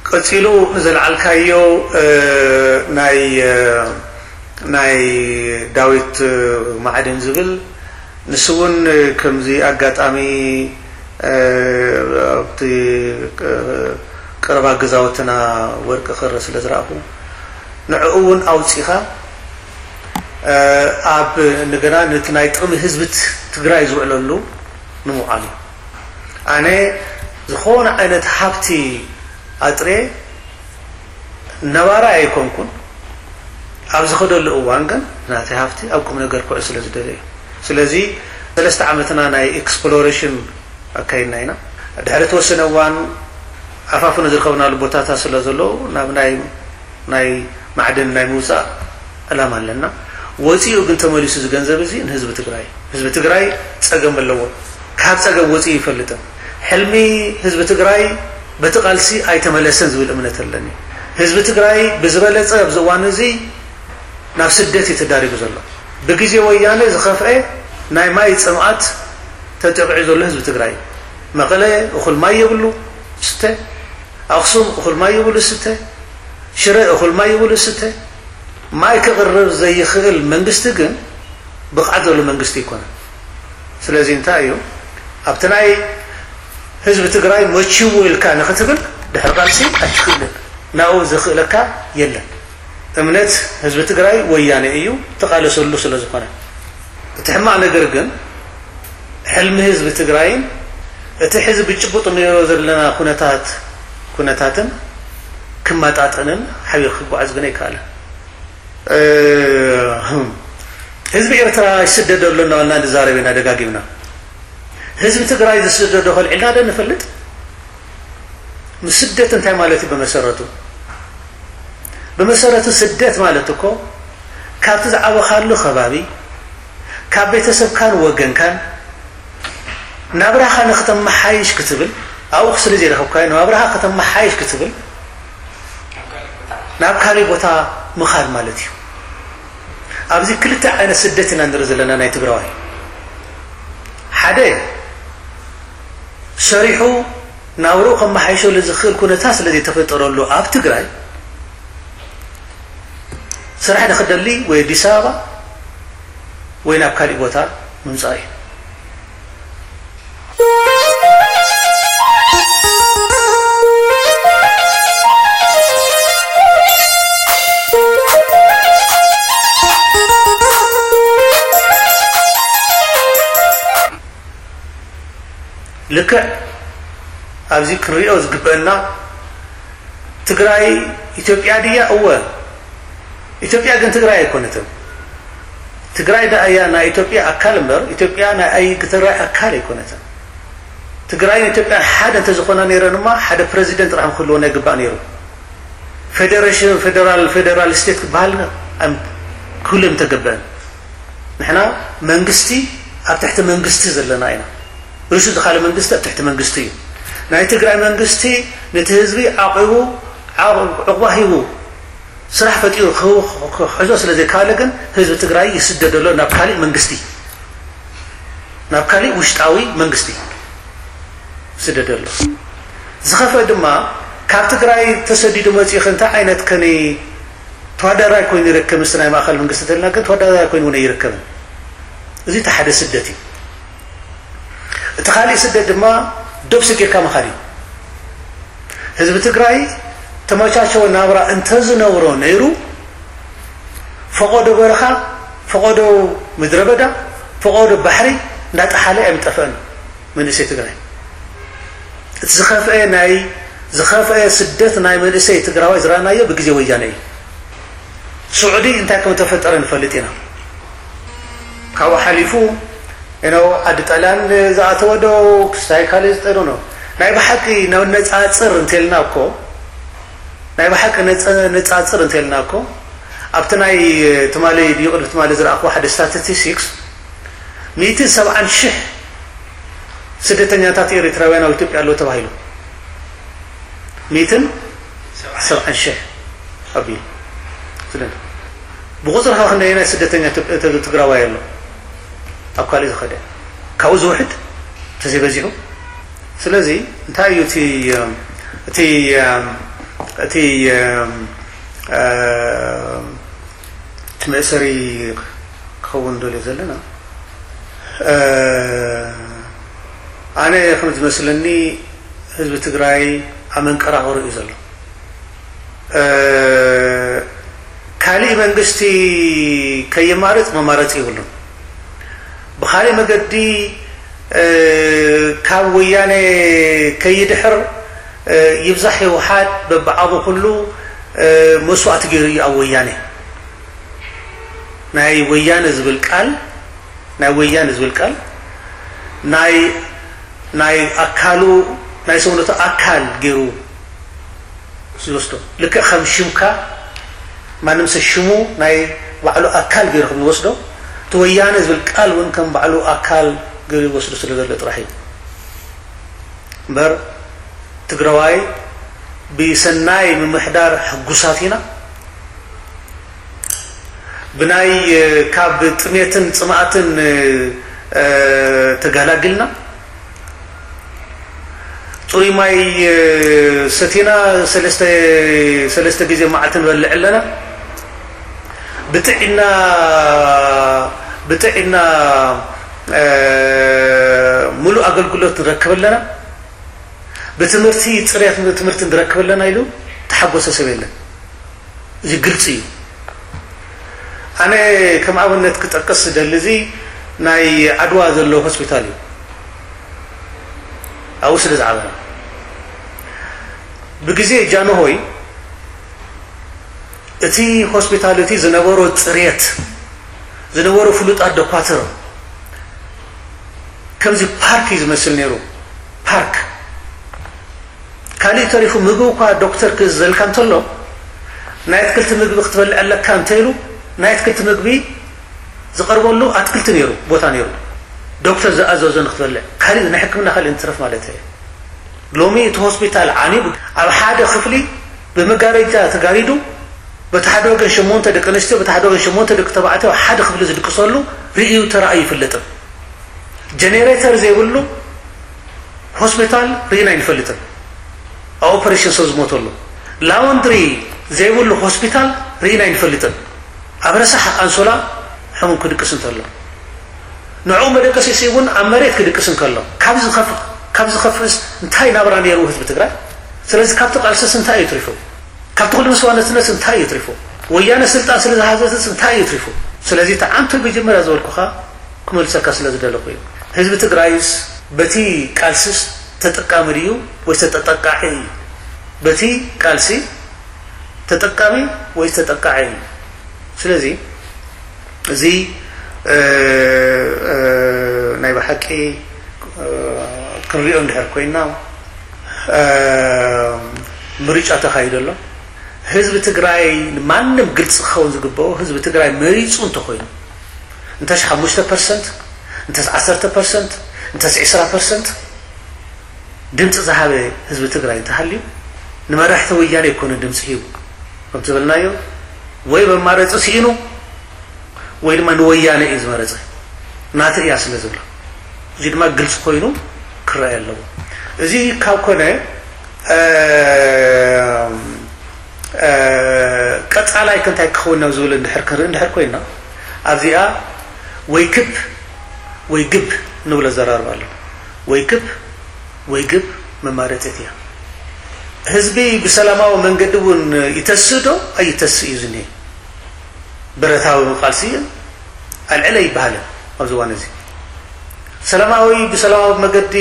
ቀጺሉ ንዘልዓልካዮ፣ እ፣ ናይ፣ እ፣ ናይ ዳዊት፣ እ፣ ማዕድን ዝብል፣ ንሱ እውን ከምዚ ኣጋጣሚ፣ እ፣ ኣብቲ፣ እ፣ ቀረባ ገዛውትና ወርቂ ክረ ስለ ዝረኣኹ፣ ንዕኡ እውን ኣውጺኻ፣ እ፣ ኣብ እንደገና ነቲ ናይ ጥቕሚ ህዝቢ ት-፣ ትግራይ ዝውዕለሉ ንምውዓል እዩ። ኣነ ዝኾነ ዓይነት ሃብቲ ኣጥርየ ነባራይ ኣይኮንኩን። ኣብ ዝኸደሉ እዋን ግን ናተይ ሃብቲ ኣብ ቁም ነገር ክውዕል ስለ ዝደለ እዩ። ስለዚ ሰለስተ ዓመትና ናይ ኤክስፕሎሬሽን ኣካይድና ኢና። ድሕሪ ተወሰነ እዋን ኣፋፍኖ ዝርከብናሉ ቦታታት ስለ ዘለዉ ናብ ናይ ናይ ማዕድን ናይ ምውፃእ ዕላማ ኣለና። ወፂኡ ግን ተመሊሱ እዚ ገንዘብ እዚ ንህዝቢ ትግራይ፣ ህዝቢ ትግራይ ፀገም ኣለዎ፣ ካብ ፀገም ወፂኡ ይፈልጥን። ሕልሚ ህዝቢ ትግራይ በቲ ቃልሲ ኣይተመለሰን ዝብል እምነት ኣለኒ። ህዝቢ ትግራይ ብዝበለፀ ኣብዚ እዋን እዚ ናብ ስደት እዩ ተዳሪጉ ዘሎ። ብግዜ ወያነ ዝኸፍአ ናይ ማይ ፅምኣት ተጠቂዑ ዘሎ ህዝቢ ትግራይ፣ መቐለ እኹል ማይ የብሉ ስተ፣ ኣኽሱም እኹል ማይ የብሉ ስተ፣ ሽረ እኹል ማይ ይብሉ ስተ። ማይ ክቕርብ ዘይኽእል መንግስቲ ግን ብቕዓት ዘሎ መንግስቲ ኣይኮነን። ስለዚ እንታይ እዩ፣ ኣብቲ ናይ ህዝቢ ትግራይ መችዎ ኢልካ ንኽትብል ድሕሪ ቃልሲ ኣይትኽእልን። ናብኡ ዘኽእለካ የለን። እምነት ህዝቢ ትግራይ ወያነ እዩ፣ ተቓለሰሉ ስለ ዝኾነ። እቲ ሕማቕ ነገር ግን ሕልሚ ህዝቢ ትግራይን እቲ ሕዚ ብጭቡጥ ንሪኦ ዘለና ኩነታት፣ ኩነታትን ክመጣጠንን ሓቢሩ ክጓዓዝ ግን ኣይከኣለን። እ፣ ህዝቢ ኤርትራ ይስደድ ኣሎ እናበልና ንዛረብ ኢና ደጋጊምና። ህዝቢ ትግራይ ዝስደዶ ከልዒልና ዶ ንፈልጥ? ስደት እንታይ ማለት እዩ ብመሰረቱ? ብመሰረቱ ስደት ማለት እኮ ካብቲ ዝዓበኻሉ ከባቢ፣ ካብ ቤተሰብካን ወገንካን ናብራኻ ንክተመሓይሽ ክትብል፣ ኣብኡ ስለ ዘይረኸብካዮ ናብራኻ ከተመሓይሽ ክትብል ናብ ካልእ ቦታ ምኻድ ማለት እዩ። ኣብዚ ክልተ ዓይነት ስደት ኢና ንርኢ ዘለና ናይ ትግራዋይ። ሓደ ሰሪሑ ናብርኡ ከመሓይሸሉ ዝኽእል ኩነታት ስለ ዘይተፈጠረሉ ኣብ ትግራይ ስራሕ ንኽደሊ ወይ ኣዲስ ኣበባ ወይ ናብ ካሊእ ቦታ ምምፃእ እዩ። ልክዕ ኣብዚ ክንሪኦ ዝግበአና ትግራይ ኢትዮጵያ ድያ? እወ። ኢትዮጵያ ግን ትግራይ ኣይኮነትን። ትግራይ ደኣ እያ ናይ ኢትዮጵያ ኣካል እምበር ኢትዮጵያ ናይ ኣይ-፣ ትግራይ ኣካል ኣይኮነትን። ትግራይን ኢትዮጵያን ሓደ እንተዝኾና ነይረንማ ሓደ ፕረዚደንት ጥራሕ ክህልወና ይግባእ ነይሩ። ፌደሬሽን፣ ፌደራል፣ ፌደራል ስቴት ክበሃል ኣም-፣ ክህሉ ምተገበአን። ንሕና መንግስቲ ኣብ ትሕቲ መንግስቲ ዘለና ኢና። ርእሱ ዝኻለ መንግስቲ ኣብ ትሕቲ መንግስቲ እዩ። ናይ ትግራይ መንግስቲ ነቲ ህዝቢ ዓቂቡ፣ ዓቑ-፣ ዕቑባ ሂቡ፣ ስራሕ ፈጢሩ ክህቡ ክሕዞ ስለ ዘይከኣለ ግን ህዝቢ ትግራይ ይስደድ ኣሎ ናብ ካሊእ መንግስቲ፣ ናብ ካሊእ ውሽጣዊ መንግስቲ ይስደድ ኣሎ። ዝኸፍአ ድማ ካብ ትግራይ ተሰዲዱ መፂኡ እንታይ ዓይነት ከኒ ተወዳዳራይ ኮይኑ ይርከብ? ምስቲ ናይ ማእኸል መንግስቲ ተልና ግን ተወዳዳራይ ኮይኑ እውን ኣይርከብን። እዚ እቲ ሓደ ስደት እዩ። እቲ ካሊእ ስደት ድማ ዶብ ስጊርካ ምኻድ እዩ። ህዝቢ ትግራይ ተመቻቸወ ናብራ እንተዝነብሮ ነይሩ ፈቐዶ በረኻ፣ ፈቐዶ ምድረ በዳ፣ ፈቐዶ ባሕሪ እንዳጠሓለ ኣይምጠፈአን መንእሰይ ትግራይ። እቲ ዝኸፍአ ናይ ዝኸፍአ ስደት ናይ መንእሰይ ትግራዋይ ዝረኣናዮ ብግዜ ወያነ እዩ። ስዑዲ እንታይ ከም ተፈጠረ ንፈልጥ ኢና። ካብኡ ሓሊፉ ነው ዓዲ ጣልያን ዝኣተወ ዶ ክስታይ ካልእ ዝጠሩ ነው። ናይ ብሓቂ ነነፃፅር እንተልና እኮ ናይ ብሓቂ ነፃፅር እንተልና እኮ ኣብቲ ናይ ትማሊ ድዩ ቅድሚ ትማሊ ዝረኣኹ ሓደ ስታቲስቲክስ ሚእትን ሰብዓን ሽሕ ስደተኛታት ኤርትራውያን ኣብ ኢትዮጵያ ኣለዉ ተባሂሉ። ሚእትን ሰብዓን ሽሕ ኣቢሉ። ስለዚ ብቁፅሪ ከ ክንደየናይ ስደተኛ ትግራዋይ ኣሎ ኣብ ካልእ ዝኸደ? ካብኡ ዝውሕድ ተዘይበዚሑ። ስለዚ እንታይ እዩ እቲ እቲ እቲ እቲ መእሰሪ ክኸውን ደልዮ ዘለና? ኣነ ከም ዝመስለኒ ህዝቢ ትግራይ ኣብ መንቀራቕሮ እዩ ዘሎ። ካሊእ መንግስቲ ከየማርፅ መማረፂ የብሉን። ብኻሊእ መገዲ ካብ ወያነ ከይድሕር ይብዛሕ ህወሓት በብዓቡ ኩሉ መስዋእቲ ገይሩ እዩ ኣብ ወያነ። ናይ ወያነ ዝብል ቃል ናይ ወያነ ዝብል ቃል ናይ ናይ ኣካሉ ናይ ሰውነቱ ኣካል ገይሩ ዝወስዶ። ልክዕ ከም ሽምካ ማንም ሰብ ሽሙ ናይ ባዕሉ ኣካል ገይሩ ከም ዝወስዶ እቲ ወያነ ዝብል ቃል እውን ከም ባዕሉ ኣካል ገይሩ ይወስዶ ስለ ዘሎ ጥራሕ እዩ። እምበር ትግራዋይ ብሰናይ ምምሕዳር ሕጉሳት ኢና። ብናይ ካብ ጥሜትን ፅማእትን ተጋላግልና። ፅሩይ ማይ ሰቲና ሰለስተ ግዜ መዓልቲ ንበልዕ ኣለና። ብጥዕና ብጥዕና ሙሉእ ኣገልግሎት ንረክብ ኣለና። ብትምህርቲ ፅሬት ትምህርቲ ንረክብ ኣለና ኢሉ ተሓጎሰ ሰብ የለን። እዚ ግልፂ እዩ። ኣነ ከም ኣብነት ክጠቅስ ዝደሊ እዚ ናይ ዓድዋ ዘሎ ሆስፒታል እዩ። ኣብኡ ስለ ዝዓበና ብግዜ ጃንሆይ እቲ ሆስፒታል እቲ ዝነበሮ ፅሬት ዝነበሩ ፍሉጣት ዶኳትር ከምዚ ፓርክ እዩ ዝመስል ነይሩ። ፓርክ ካሊእ ተሪፉ ምግቢ እኳ ዶክተር ክእዝዘልካ እንተሎ ናይ ኣትክልቲ ምግቢ ክትበልዕ ኣለካ እንተኢሉ ናይ ኣትክልቲ ምግቢ ዝቐርበሉ ኣትክልቲ ነይሩ ቦታ ነይሩ ዶክተር ዝኣዘዞ ንክትበልዕ ካሊእ ናይ ሕክምና ካሊእ እንትረፍ ማለት እየ። ሎሚ እቲ ሆስፒታል ዓንዩ ኣብ ሓደ ክፍሊ ብመጋረጃ ተጋሪዱ በቲ ሓደ ወገን ሸሞንተ ደቂ ኣንስትዮ በቲ ሓደ ወገን ሸሞንተ ደቂ ተባዕትዮ ሓደ ክፍሊ ዝድቅሰሉ ርእዩ ተራእዩ ይፍለጥን። ጀኔሬተር ዘይብሉ ሆስፒታል ርኢና ኣይንፈልጥን። ኣብ ኦፐሬሽን ሰብ ዝሞተሉ ላውንድሪ ዘይብሉ ሆስፒታል ርኢና ኣይንፈልጥን። ኣብ ረሳሕ ኣንሶላ ሕሙም ክድቅስ እንተሎ ንዕኡ መደቀሲሲ እውን ኣብ መሬት ክድቅስ እንከሎ ካብ ዝኸፍእስ እንታይ ናብራ ነይሩ ህዝቢ ትግራይ? ስለዚ ካብቲ ቃልስስ እንታይ እዩ ትሪፉ? ካብቲ ኩሉ መስዋእነትነስ እንታይ እዩ ትሪፉ? ወያነ ስልጣን ስለ ዝሃዘትስ እንታይ እዩ ትሪፉ? ስለዚ እቲ ዓንቶ መጀመርያ ዝበልኩኻ ክመልሰካ ስለ ዝደለኹ እዩ። ህዝቢ ትግራይስ በቲ ቃልስስ ተጠቃሚ ድዩ ወይስ ተጠቃዒ እዩ? በቲ ቃልሲ ተጠቃሚ ወይስ ተጠቃዒ እዩ? ስለዚ እዚ ናይ ብሓቂ ክንሪኦ እንድሕር ኮይና ምርጫ ተኻይዶ ኣሎ። ህዝቢ ትግራይ ንማንም ግልፂ ክኸውን ዝግበኦ ህዝቢ ትግራይ መሪፁ እንተኮይኑ እንተስ ሓሙሽተ ፐርሰንት እንተስ ዓሰርተ ፐርሰንት እንተስ ዕስራ ፐርሰንት ድምፂ ዝሃበ ህዝቢ ትግራይ እንተሃልዩ ንመራሕቲ ወያነ ኣይኮነ ድምፂ ሂቡ ከምቲ ዝበልናዮ ወይ መማረፂ ስኢኑ ወይ ድማ ንወያነ እዩ ዝመረፀ ናተ እያ ስለ ዝብላ፣ እዚ ድማ ግልፂ ኮይኑ ክረኣይ ኣለዎ። እዚ ካብ ኮነ ቀፃላይ ከንታይ ክኸውን ናብ ዝብል እንድሕር ክንርኢ እንድሕር ኮይና ኣብዚኣ ወይ ክብ ወይ ግብ ንብሎ ዘራርባ ኣሎ። ወይ ክብ ወይ ግብ መማረፂት እያ። ህዝቢ ብሰላማዊ መንገዲ እውን ይተስእ ዶ ኣይተስእ እዩ ዝኒሀ። ብረታዊ ቃልሲ ኣልዕለ ይበሃልን ኣብዚ እዋን እዚ ሰላማዊ ብሰላማዊ መገዲ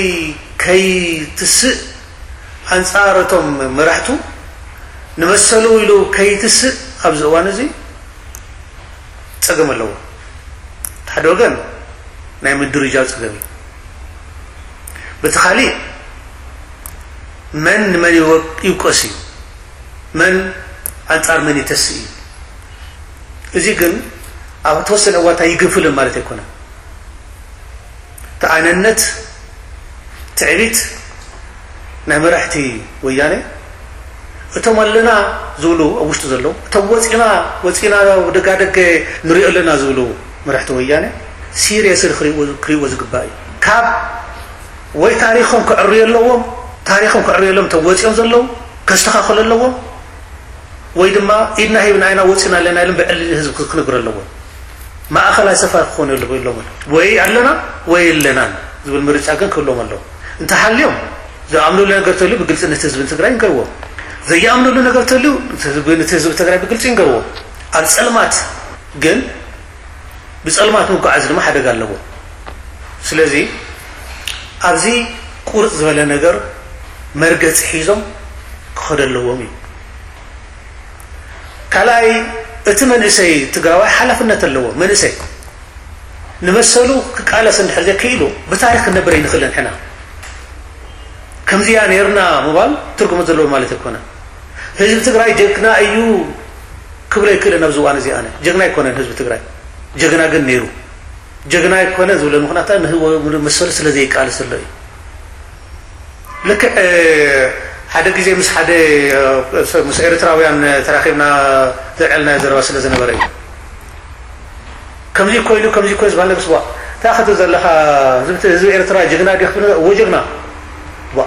ከይትስእ ኣንፃር እቶም መራሕቱ ንመሰሉ ኢሉ ከይትስእ ኣብዚ እዋን እዚ ፀገም ኣለዎ። ሓደ ወገን ናይ ምድርጃው ፀገም እዩ። በቲ ካሊእ መን ንመን ይውቀስ እዩ፣ መን ኣንፃር መን ይተስእ እዩ። እዚ ግን ኣብ ተወሰነ እዋንታ ይግንፍልን ማለት ኣይኮነን። ተኣነነት ትዕቢት ናይ መራሕቲ ወያነ እቶም ኣለና ዝብሉ ኣብ ውሽጢ ዘለዉ እቶም ወፂና ወፂና ደጋደገ ንሪኦ ኣለና ዝብሉ መራሕቲ ወያነ ሲሪየስሊ ክሪእዎ ዝግባእ እዩ። ካብ ወይ ታሪኾም ክዕርዩ ኣለዎም፣ ታሪኾም ክዕርዩ ኣለዎም እቶም ወፂኦም ዘለዉ ከስተኻኽሉ ኣለዎም። ወይ ድማ ኢድና ሂብና ኢና ወፂና ኣለና ኢሎም ብዕሊ ህዝቢ ክነግሩ ኣለዎም። ማእኸላይ ሰፋሪ ክኾኑ ኣለዎም። ወይ ኣለና ወይ የለናን ዝብል ምርጫ ግን ክህልዎም ኣለዎ። እንተሃልዮም ዝኣምኑሉ ነገር ተልዩ ብግልፂ ነቲ ህዝቢ ትግራይ ይንገርዎ። ዘየኣምኑሉ ነገር ተልዩ ነቲ ህዝቢ ትግራይ ብግልፂ ይንገርዎ። ኣብ ፀልማት ግን ብፀልማት ምጉዓዝ ድማ ሓደጋ ኣለዎ። ስለዚ ኣብዚ ቁርፅ ዝበለ ነገር መርገፂ ሒዞም ክኸዱ ኣለዎም እዩ። ካልኣይ እቲ መንእሰይ ትግራዋይ ሓላፍነት ኣለዎ። መንእሰይ ንመሰሉ ክቃለስ እንድሕር ዘይክኢሉ ብታሪክ ክንነብር ኣይንኽእልን ሕና። ከምዚያ ነርና ምባል ትርጉም ዘለዎ ማለት ኣይኮነን። ህዝቢ ትግራይ ጀግና እዩ ክብሎ ኣይክእልን ኣብዚ እዋን እዚ። ኣነ ጀግና ኣይኮነን ህዝቢ ትግራይ፣ ጀግና ግን ነይሩ። ጀግና ኣይኮነ ዝብለ ምክንያት ንህወ መሰሉ ስለ ዘይቃለስ ዘሎ እዩ። ልክዕ ሓደ ግዜ ምስ ሓደ ምስ ኤርትራውያን ተራኺብና ዘልዐልናዮ ዘረባ ስለ ዝነበረ እዩ። ከምዚ ኮይኑ ከምዚ ኮይኑ ዝበሃል ምስ ቧ እንታይ ክትብል ዘለኻ? ህዝቢ ኤርትራ ጀግና ድዩ ክትብል እዎ ጀግና ቧ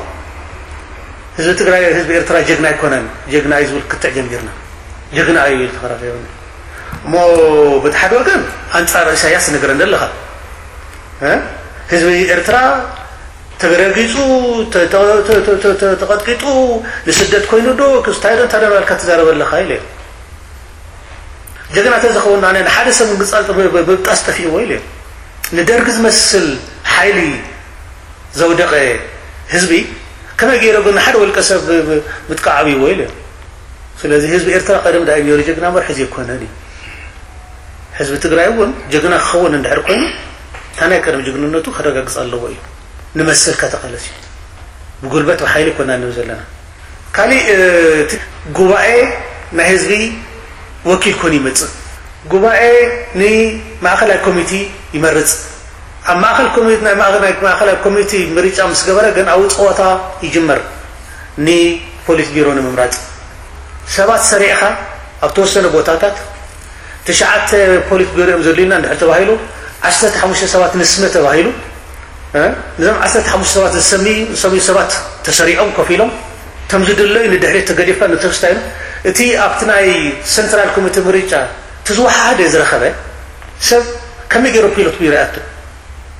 ህዝቢ ትግራይ ህዝቢ ኤርትራ ጀግና ኣይኮነን። ጀግና እዩ ዝብል ክትዕ ጀሚርና ጀግና እዩ ተኸራኺብና እሞ በቲ ሓደ ወገን ኣንፃር ኢሳያስ ነገር እንደለኻ ህዝቢ ኤርትራ ተረጊፁ ተቐጥቂጡ ንስደት ኮይኑ ዶ ክስታይ ዶ እንታይ ዶ ናልካ ትዛረበ ኣለኻ ኢለ ጀግና ተዝኸውን ኣነ ንሓደ ሰብ ምግፃል ምብጣስ ጠፊእዎ ኢለ ንደርጊ ዝመስል ሓይሊ ዘውደቐ ህዝቢ ከመይ ገይረ ግን ንሓደ ውልቀ ሰብ ምጥቃዕ ኣብይዎ ኢለ ስለዚ ህዝቢ ኤርትራ ቀደም ዳ ነይሩ ጀግና እምበር ሕዚ ኣይኮነን እዩ። ህዝቢ ትግራይ እውን ጀግና ክኸውን እንድሕር ኮይኑ እታ ናይ ቀደም ጅግንነቱ ከረጋግፅ ኣለዎ እዩ። ንመሰልካ ተቃለስ እዩ። ብጉልበት ብሓይሊ ኣይኮና ንብል ዘለና። ካሊእ እቲ ጉባኤ ናይ ህዝቢ ወኪል ኮይኑ ይመፅእ። ጉባኤ ንማእኸላይ ኮሚቲ ይመርፅ። ኣብ ማእኸል ኮሚቲ ናይ ማእኸል ናይ ማእኸላይ ኮሚቲ ምርጫ ምስ ገበረ ግን ኣብኡ ፀወታ ይጅመር። ንፖሊት ቢሮ ንምምራፅ ሰባት ሰሪዕኻ ኣብ ተወሰነ ቦታታት ትሽዓተ ፖሊት ቢሮ እዮም ዘድልዩና እንድሕር ተባሂሉ ዓሰርተ ሓሙሽተ ሰባት ንስመ ተባሂሉ ነዞም ዓሰርተ ሓሙሽተ ሰባት ዝሰምዩ ሰባት ተሰሪዖም ኮፍ ኢሎም እቶም ዝድለዩ ንድሕሪት ተገዲፍካ ንተስታ ኢሉ እቲ ኣብቲ ናይ ሰንትራል ኮሚቴ ምርጫ እቲ ዝወሓደ ዝረኸበ ሰብ ከመይ ገይሩ ፒሎት ቢሮ ይኣቱ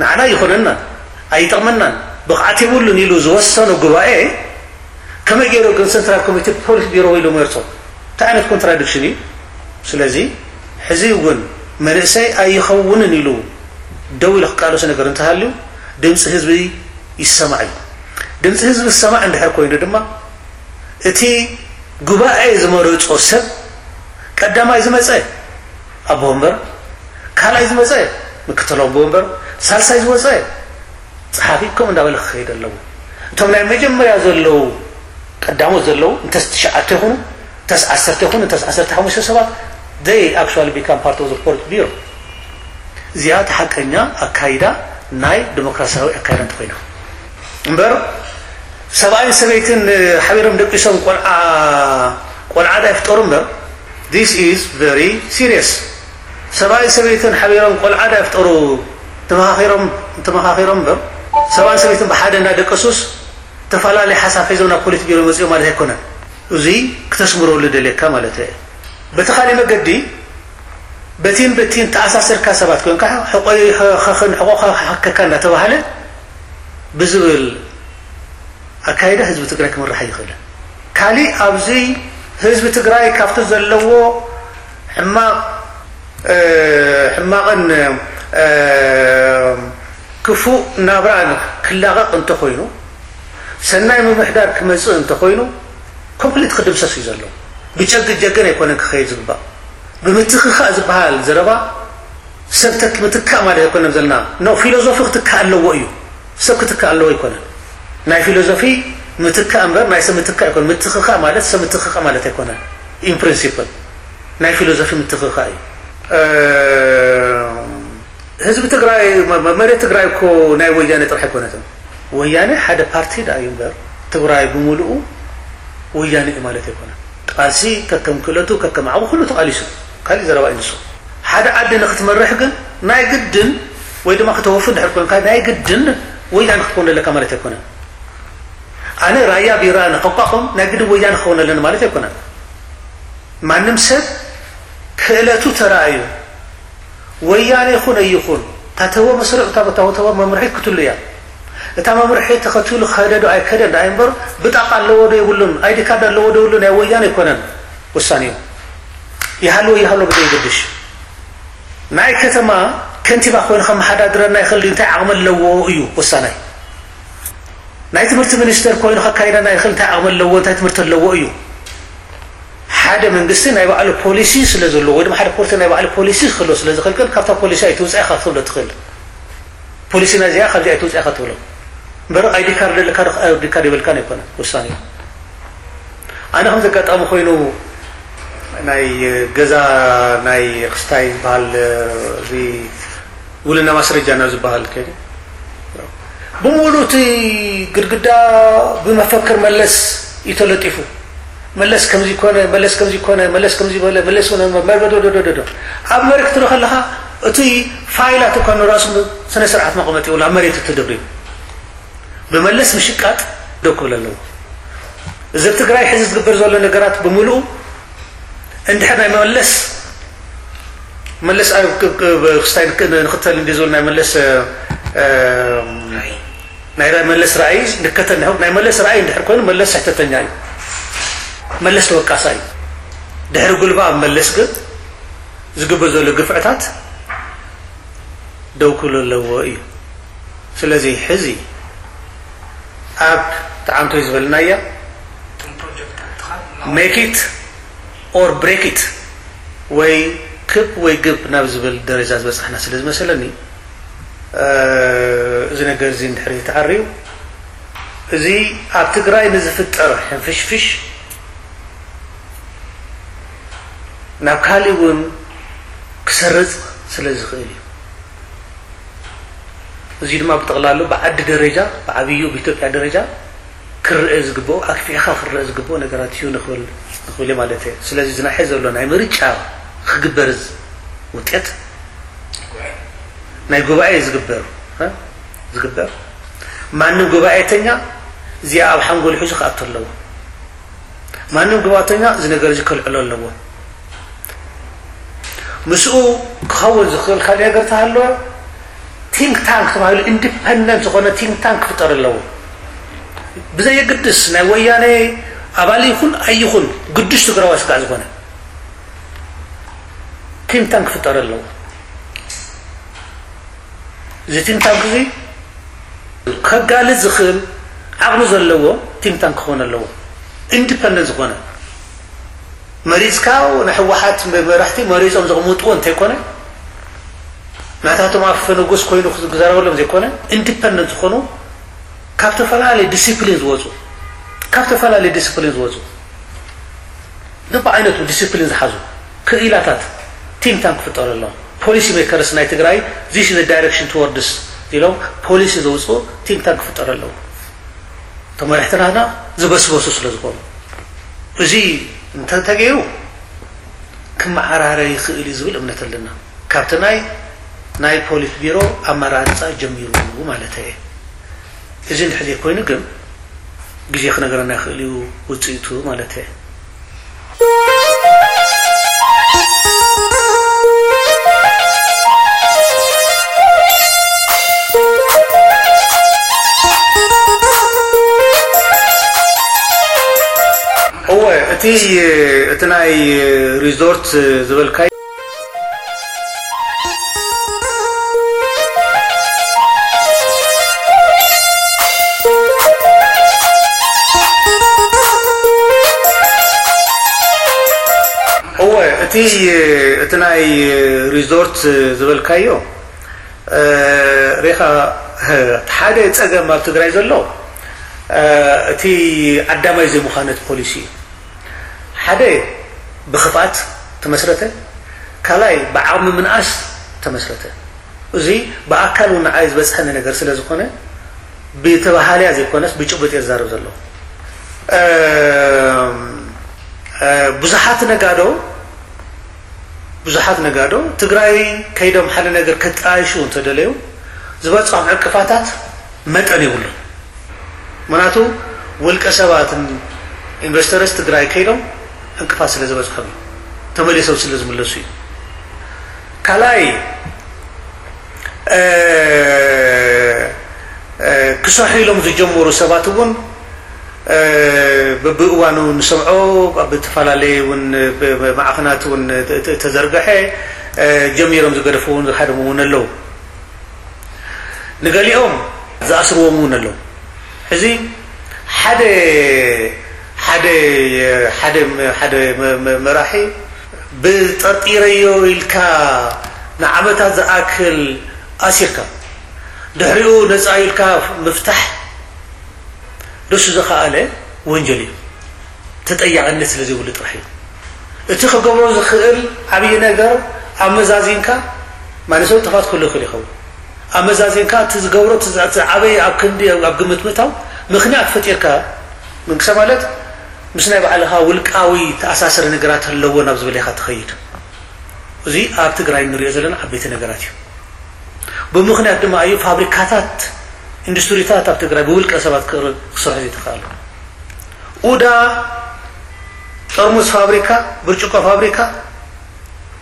ንዓና ይኾነናን ኣይጠቕመናን ብቕዓት የብሉን ኢሉ ዝወሰኖ ጉባኤ ከመይ ገይሩ ግን ሰንትራል ኮሚቴ ፖሊት ቢሮ ኢሉ መርጾ እንታይ ዓይነት ኮንትራዲክሽን እዩ ስለዚ ሕዚ እውን መንእሰይ ኣይኸውንን ኢሉ ደው ኢሉ ክቃለሶ ነገር እንተሃልዩ ድምፂ ህዝቢ ይሰማዕ እዩ። ድምፂ ህዝቢ ዝሰማዕ እንድሕር ኮይኑ ድማ እቲ ጉባኤ ዝመረፆ ሰብ ቀዳማይ ዝመፀ ኣቦ ወንበር፣ ካልኣይ ዝመፀ ምክትል ኣቦ ወንበር፣ ሳልሳይ ዝወፀ ፀሓፊ ከምኡ እንዳበለ ክኸይድ ኣለዎ። እቶም ናይ መጀመርያ ዘለዉ ቀዳሞት ዘለዉ እንተስ ትሽዓተ ይኹኑ እንተስ ዓሰርተ ይኹኑ እንተስ ዓሰርተ ሓሙሽተ ሰባት they actually become part of the politburo። እዚኣ እቲ ሓቀኛ ኣካይዳ ናይ ዲሞክራሲያዊ ኣካይዳ እንተኮይና እምበር ሰብኣይን ሰበይትን ሓቢሮም ደቂሶም ቆልዓ ቆልዓ ዳ ይፍጠሩ እምበር This is very serious. ሰብኣይ ሰበይትን ሓቢሮም ቆልዓ ዳ ይፍጠሩ ተመኻኺሮም ተመኻኺሮም እምበር ሰብኣይ ሰበይትን ብሓደ እንዳደቀሱስ ተፈላለየ ሓሳብ ሒዞም ናብ ፖሊት ቢሮ መፅኦም ማለት ኣይኮነን። እዙይ ክተስምረሉ ደልየካ ማለት እየ። በቲ ካሊእ መገዲ በቲን በቲን ተኣሳሰርካ ሰባት ኮንካ ሕቆይ ኸኸን ሕቆ ከከካ እንዳተባሃለ ብዝብል ኣካይዳ ህዝቢ ትግራይ ክምራሕ ኣይኽእልን። ካሊእ ኣብዚ ህዝቢ ትግራይ ካብቲ ዘለዎ ሕማቕ ሕማቕን ክፉእ ናብራን ክላቐቕ እንተኾይኑ ሰናይ ምምሕዳር ክመፅእ እንተኾይኑ ኮምፕሊት ክድምሰስ እዩ ዘሎ። ብጨግን ጀግን ኣይኮነን ክኸይድ ዝግባእ። ብምትኽኻእ ዝበሃል ዘረባ ሰብ ተክ ምትካእ ማለት ኣይኮነን ዘለና። ኖ ፊሎዞፊ ክትካእ ኣለዎ እዩ። ሰብ ክትካእ ኣለዎ ኣይኮነን። ናይ ፊሎዞፊ ምትካእ እምበር ናይ ሰብ ምትካእ ኣይኮነን። ምትኽኻእ ማለት ሰብ ምትኽኻእ ማለት ኣይኮነን። ኢን ፕሪንሲፕል ናይ ፊሎዞፊ ምትኽኻእ እዩ። ህዝቢ ትግራይ መሬት ትግራይ እኮ ናይ ወያነ ጥራሕ ኣይኮነትን። ወያነ ሓደ ፓርቲ ዳ እዩ እምበር ትግራይ ብምሉኡ ወያነ እዩ ማለት ኣይኮነን። ቃልሲ ከከም ክእለቱ ከከም ዓቕሙ ኩሉ ተቓሊሱ ካሊእ ዘረባ እዩ ንሱ። ሓደ ዓዲ ንክትመርሕ ግን ናይ ግድን ወይ ድማ ክተወፉ እንድሕር ኮንካ ናይ ግድን ወያነ ክትኮን ኣለካ ማለት ኣይኮነን። ኣነ ራያ ቢራ ንከቋቑም ናይ ግድን ወያነ ክኸውን ኣለኒ ማለት ኣይኮነን። ማንም ሰብ ክእለቱ ተራእዩ ወያነ ይኹን ኣይኹን ታተወ መስርዕ እታ ታተወ መምርሒ ክትሉ እያ። እታ መምርሒ ተኸትሉ ከደ ዶ ኣይከደ ዳይ እምበር ብጣቃ ኣለዎ ዶ የብሉን ኣይዲ ካርድ ኣለዎ ዶ የብሉን ናይ ወያነ ኣይኮነን ውሳኔኡ። ይሃልዎ ይሃልዎ ብዘይገድሽ ናይ ከተማ ከንቲባ ኮይኑ ከመሓዳድረና ይኽእል እንታይ ዓቕሚ ኣለዎ እዩ ውሳናይ። ናይ ትምህርቲ ሚኒስተር ኮይኑ ከካይደና ይኽእል እንታይ ዓቕሚ ኣለዎ እንታይ ትምህርቲ ኣለዎ እዩ። ሓደ መንግስቲ ናይ ባዕሉ ፖሊሲ ስለ ዘለዎ ወይ ድማ ሓደ ፖርቲ ናይ ባዕሉ ፖሊሲ ክህሎ ስለ ዝኽእል ግን ካብታ ፖሊሲ ኣይትውፃእ ኢኻ ክትብሎ ትኽእል። ፖሊሲና እዚኣ ካብዚ ኣይትውፃእ ኢኻ ትብሎ እምበር ኣይዲ ካርድ ኣለካ ዶ ኣይዲ ካርድ የብልካን ኣይኮነን ውሳኔ። ኣነ ከም ዘጋጣሚ ኮይኑ ናይ ገዛ ናይ ክስታይ ዝበሃል እዚ ውልና ማስረጃ ናብ ዝበሃል ከይደ ብምሉእ እቲ ግድግዳ ብመፈክር መለስ እዩ ተለጢፉ። መለስ ከምዚ ኮነ፣ መለስ ከምዚ ኮነ፣ መለስ ከምዚ በለ፣ መለስ ኮነ፣ መ- መ- ዶ- ዶ- ዶ- ዶ- ዶ። ኣብ መሬት ክትርኢ ከለኻ እቲ ፋይላት እኳ ንራሱ ስነ ስርዓት መቐመጢ ይብሉ ኣብ መሬት እቲ ደብሪ ብመለስ ምሽቃጥ ደው ክብል ኣለዎ። እዚ ኣብ ትግራይ ሕዚ ዝግበር ዘሎ ነገራት ብምሉኡ እንድሕር ናይ መለስ መለስ ኣብ ክ- ክ- ክስታይ ንክ- ንክተል እንዲ ዝብል ናይ መለስ እ፣ ናይ ራ- መለስ ራእይ ንከተል ናይ መለስ ራእይ እንድሕር ኮይኑ መለስ ስሕተተኛ እዩ። መለስ ተወቃሳ እዩ። ድሕሪ ጉልባ ኣብ መለስ ግን ዝግበር ዘሎ ግፍዕታት ደው ክብሎ ኣለዎ እዩ። ስለዚ ሕዚ ኣብ ተዓንቶይ ዝበልናያ make it or break it ወይ ክብ ወይ ግብ ናብ ዝብል ደረጃ ዝበፃሕና ስለ ዝመሰለኒ እዚ ነገር እዚ እንድሕር ተዓርዩ እዚ ኣብ ትግራይ ንዝፍጠር ሕንፍሽፍሽ ናብ ካሊእ እውን ክሰርፅ ስለ ዝኽእል እዩ። እዚ ድማ ብጠቕላሉ ብዓዲ ደረጃ ብዓብዩ ብኢትዮጵያ ደረጃ ክረአ ዝግብኦ ኣክፊሕካ ክረአ ዝግብኦ ነገራት እዩ ንኽብል ንኽብል ማለት እየ። ስለዚ እዚ ናይ ሕዚ ዘሎ ናይ ምርጫ ክግበር ውጤት ናይ ጉባኤ ዝግበር ዝግበር ማንም ጉባኤተኛ እዚኣ ኣብ ሓንጎሉ ሒዙ ክኣቱ ኣለዎ። ማንም ጉባኤተኛ እዚ ነገር እዚ ከልዕሎ ኣለዎ። ምስኡ ክኸውን ዝኽእል ካልእ ነገር ተሃለወ ቲንክ ታንክ ተባሂሉ ኢንዲፐንደንት ዝኾነ ቲንክ ታንክ ክፍጠር ኣለዎ። ብዘየግድስ ናይ ወያነ ኣባል ይኹን ኣይኹን ግዱሽ ትግራዋይ ስጋዕ ዝኾነ ቲንክ ታንክ ክፍጠር ኣለዎ። እዚ ቲንክ ታንክ እዚ ከጋልፅ ዝኽእል ዓቕሚ ዘለዎ ቲንክ ታንክ ክኾን ኣለዎ። ኢንዲፐንደንት ዝኾነ መሪፅካ ናይ ህወሓት መራሕቲ መሪፆም ዘቕምጥዎ እንተይኮነ ናታቶም ኣፈ ንጉስ ኮይኑ ክዘረበሎም ዘይኮነ ኢንዲፐንደንት ዝኾኑ ካብ ተፈላለየ ዲሲፕሊን ዝወፁ ካብ ተፈላለየ ዲሲፕሊን ዝወፁ ብዓይነቱ ዲሲፕሊን ዝሓዙ ክኢላታት ቲንክ ታንክ ክፍጠሩ ኣለዎም። ፖሊሲ ሜከርስ ናይ ትግራይ this is the direction towards ኢሎም ፖሊሲ ዘውፅኡ ቲንክ ታንክ ክፍጠሩ ኣለዎም። እቶም መራሕቲ ናትና ዝበስበሱ ስለ ዝኾኑ እዚ እንተተገይሩ ክመዓራረ ይኽእል እዩ ዝብል እምነት ኣለና። ካብቲ ናይ ናይ ፖሊት ቢሮ ኣመራርፃ ጀሚሩ ማለት እየ። እዚ እንድሕር ዘይኮይኑ ግን ግዜ ክነገረና ይኽእል እዩ ውፅኢቱ ማለት እየ። እወ፣ እቲ እቲ ናይ ሪዞርት ዝበልካይ እወ፣ እቲ እቲ ናይ ሪዞርት ዝበልካዮ ሬኻ፣ ሓደ ጸገም ኣብ ትግራይ ዘሎ እቲ ዓዳማይ ዘይምዃነት ፖሊሲ እዩ። ሓደ ብኽፍኣት ተመስረተ፣ ካልኣይ ብዓቕሚ ምንኣስ ተመስረተ። እዚ ብኣካል እውን ንዓይ ዝበፅሐኒ ነገር ስለ ዝኾነ ብተባሃልያ ዘይኮነስ ብጭቡጥ እየ ዝዛረብ ዘሎ። ብዙሓት ነጋዶ ብዙሓት ነጋዶ ትግራይ ከይዶም ሓደ ነገር ከጣይሹ እንተደለዩ ዝበፅሖም ዕንቅፋታት መጠን የብሉን። ምክንያቱ ውልቀ ሰባትን ኢንቨስተርስ ትግራይ ከይዶም ዕንቅፋት ስለ ዝበፅሖም እዩ፣ ተመሊሶም ስለ ዝምለሱ እዩ። ካልኣይ ክሰርሑ ኢሎም ዝጀመሩ ሰባት እውን በብእዋኑ ንሰምዖ ኣብ ዝተፈላለየ እውን ማዕኸናት እውን ተዘርግሐ ጀሚሮም ዝገደፉ እውን ዝሃደሙ እውን ኣለዉ። ንገሊኦም ዝኣስርዎም እውን ኣለዉ። ሕዚ ሓደ ሓደ ሓደ ሓደ መራሒ ብጠርጢረዮ ኢልካ ንዓመታት ዝኣክል ኣሲርካ ድሕሪኡ ነፃ ኢልካ ምፍታሕ ደሱ ዝኸኣለ ወንጀል እዩ። ተጠያቕነት ስለ ዘይብሉ ጥራሕ እዩ። እቲ ክገብሮ ዝኽእል ዓብዪ ነገር ኣመዛዚንካ፣ ማንሰብ ጥፋት ክህሉ ይኽእል ይኸውን። ኣመዛዚንካ እቲ ዝገብሮ እቲ ዓበይ ኣብ ክንዲ ኣብ ግምት ምእታው ምኽንያት ፈጢርካ ምንቅሰ ማለት ምስ ናይ ባዕልኻ ውልቃዊ ተኣሳሰሪ ነገራት ኣለዎ ናብ ዝብል ኢኻ ትኸይድ። እዚ ኣብ ትግራይ ንሪኦ ዘለና ዓበይቲ ነገራት እዩ። ብምኽንያት ድማ እዩ ፋብሪካታት ኢንዱስትሪታት ኣብ ትግራይ ብውልቀ ሰባት ክስርሑ ዘይተኽኣሉ። ኡዳ ጠርሙስ ፋብሪካ፣ ብርጭቆ ፋብሪካ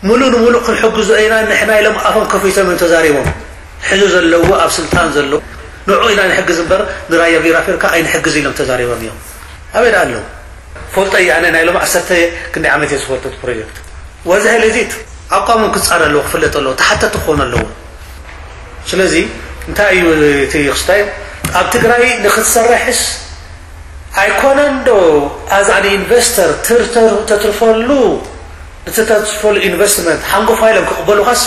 ሙሉእ ንሙሉእ ክንሕግዞ ኢና ንሕና ኢሎም ኣፎም ከፊቶም እዮም ተዛሪቦም። ሕዚ ዘለዎ ኣብ ስልጣን ዘሎ ንዑ ኢና ንሕግዝ እምበር ንራያ ቢራ ፌርካ ኣይንሕግዝ ኢሎም ተዛሪቦም እዮም። ኣበይ ደኣ ኣለዉ? ፈልጦ እየ ኣነ ናይ ሎም ዓሰርተ ክንደይ ዓመት እየ ዝፈልጦ እቲ ፕሮጀክት። ወዚ ሄለዚት ኣቋሞም ክፃረ ኣለዎ ክፍለጥ ኣለዎ ተሓተቲ ክኾኑ ኣለዎ። ስለዚ እንታይ እዩ እቲ ክስታይ ኣብ ትግራይ ንክትሰርሕስ ኣይኮነን ዶ ኣዛ ንኢንቨስተር ተትርፈሉ ንተትርፈሉ ኢንቨስትመንት ሓንጎፋ ኢሎም ክቕበሉኻስ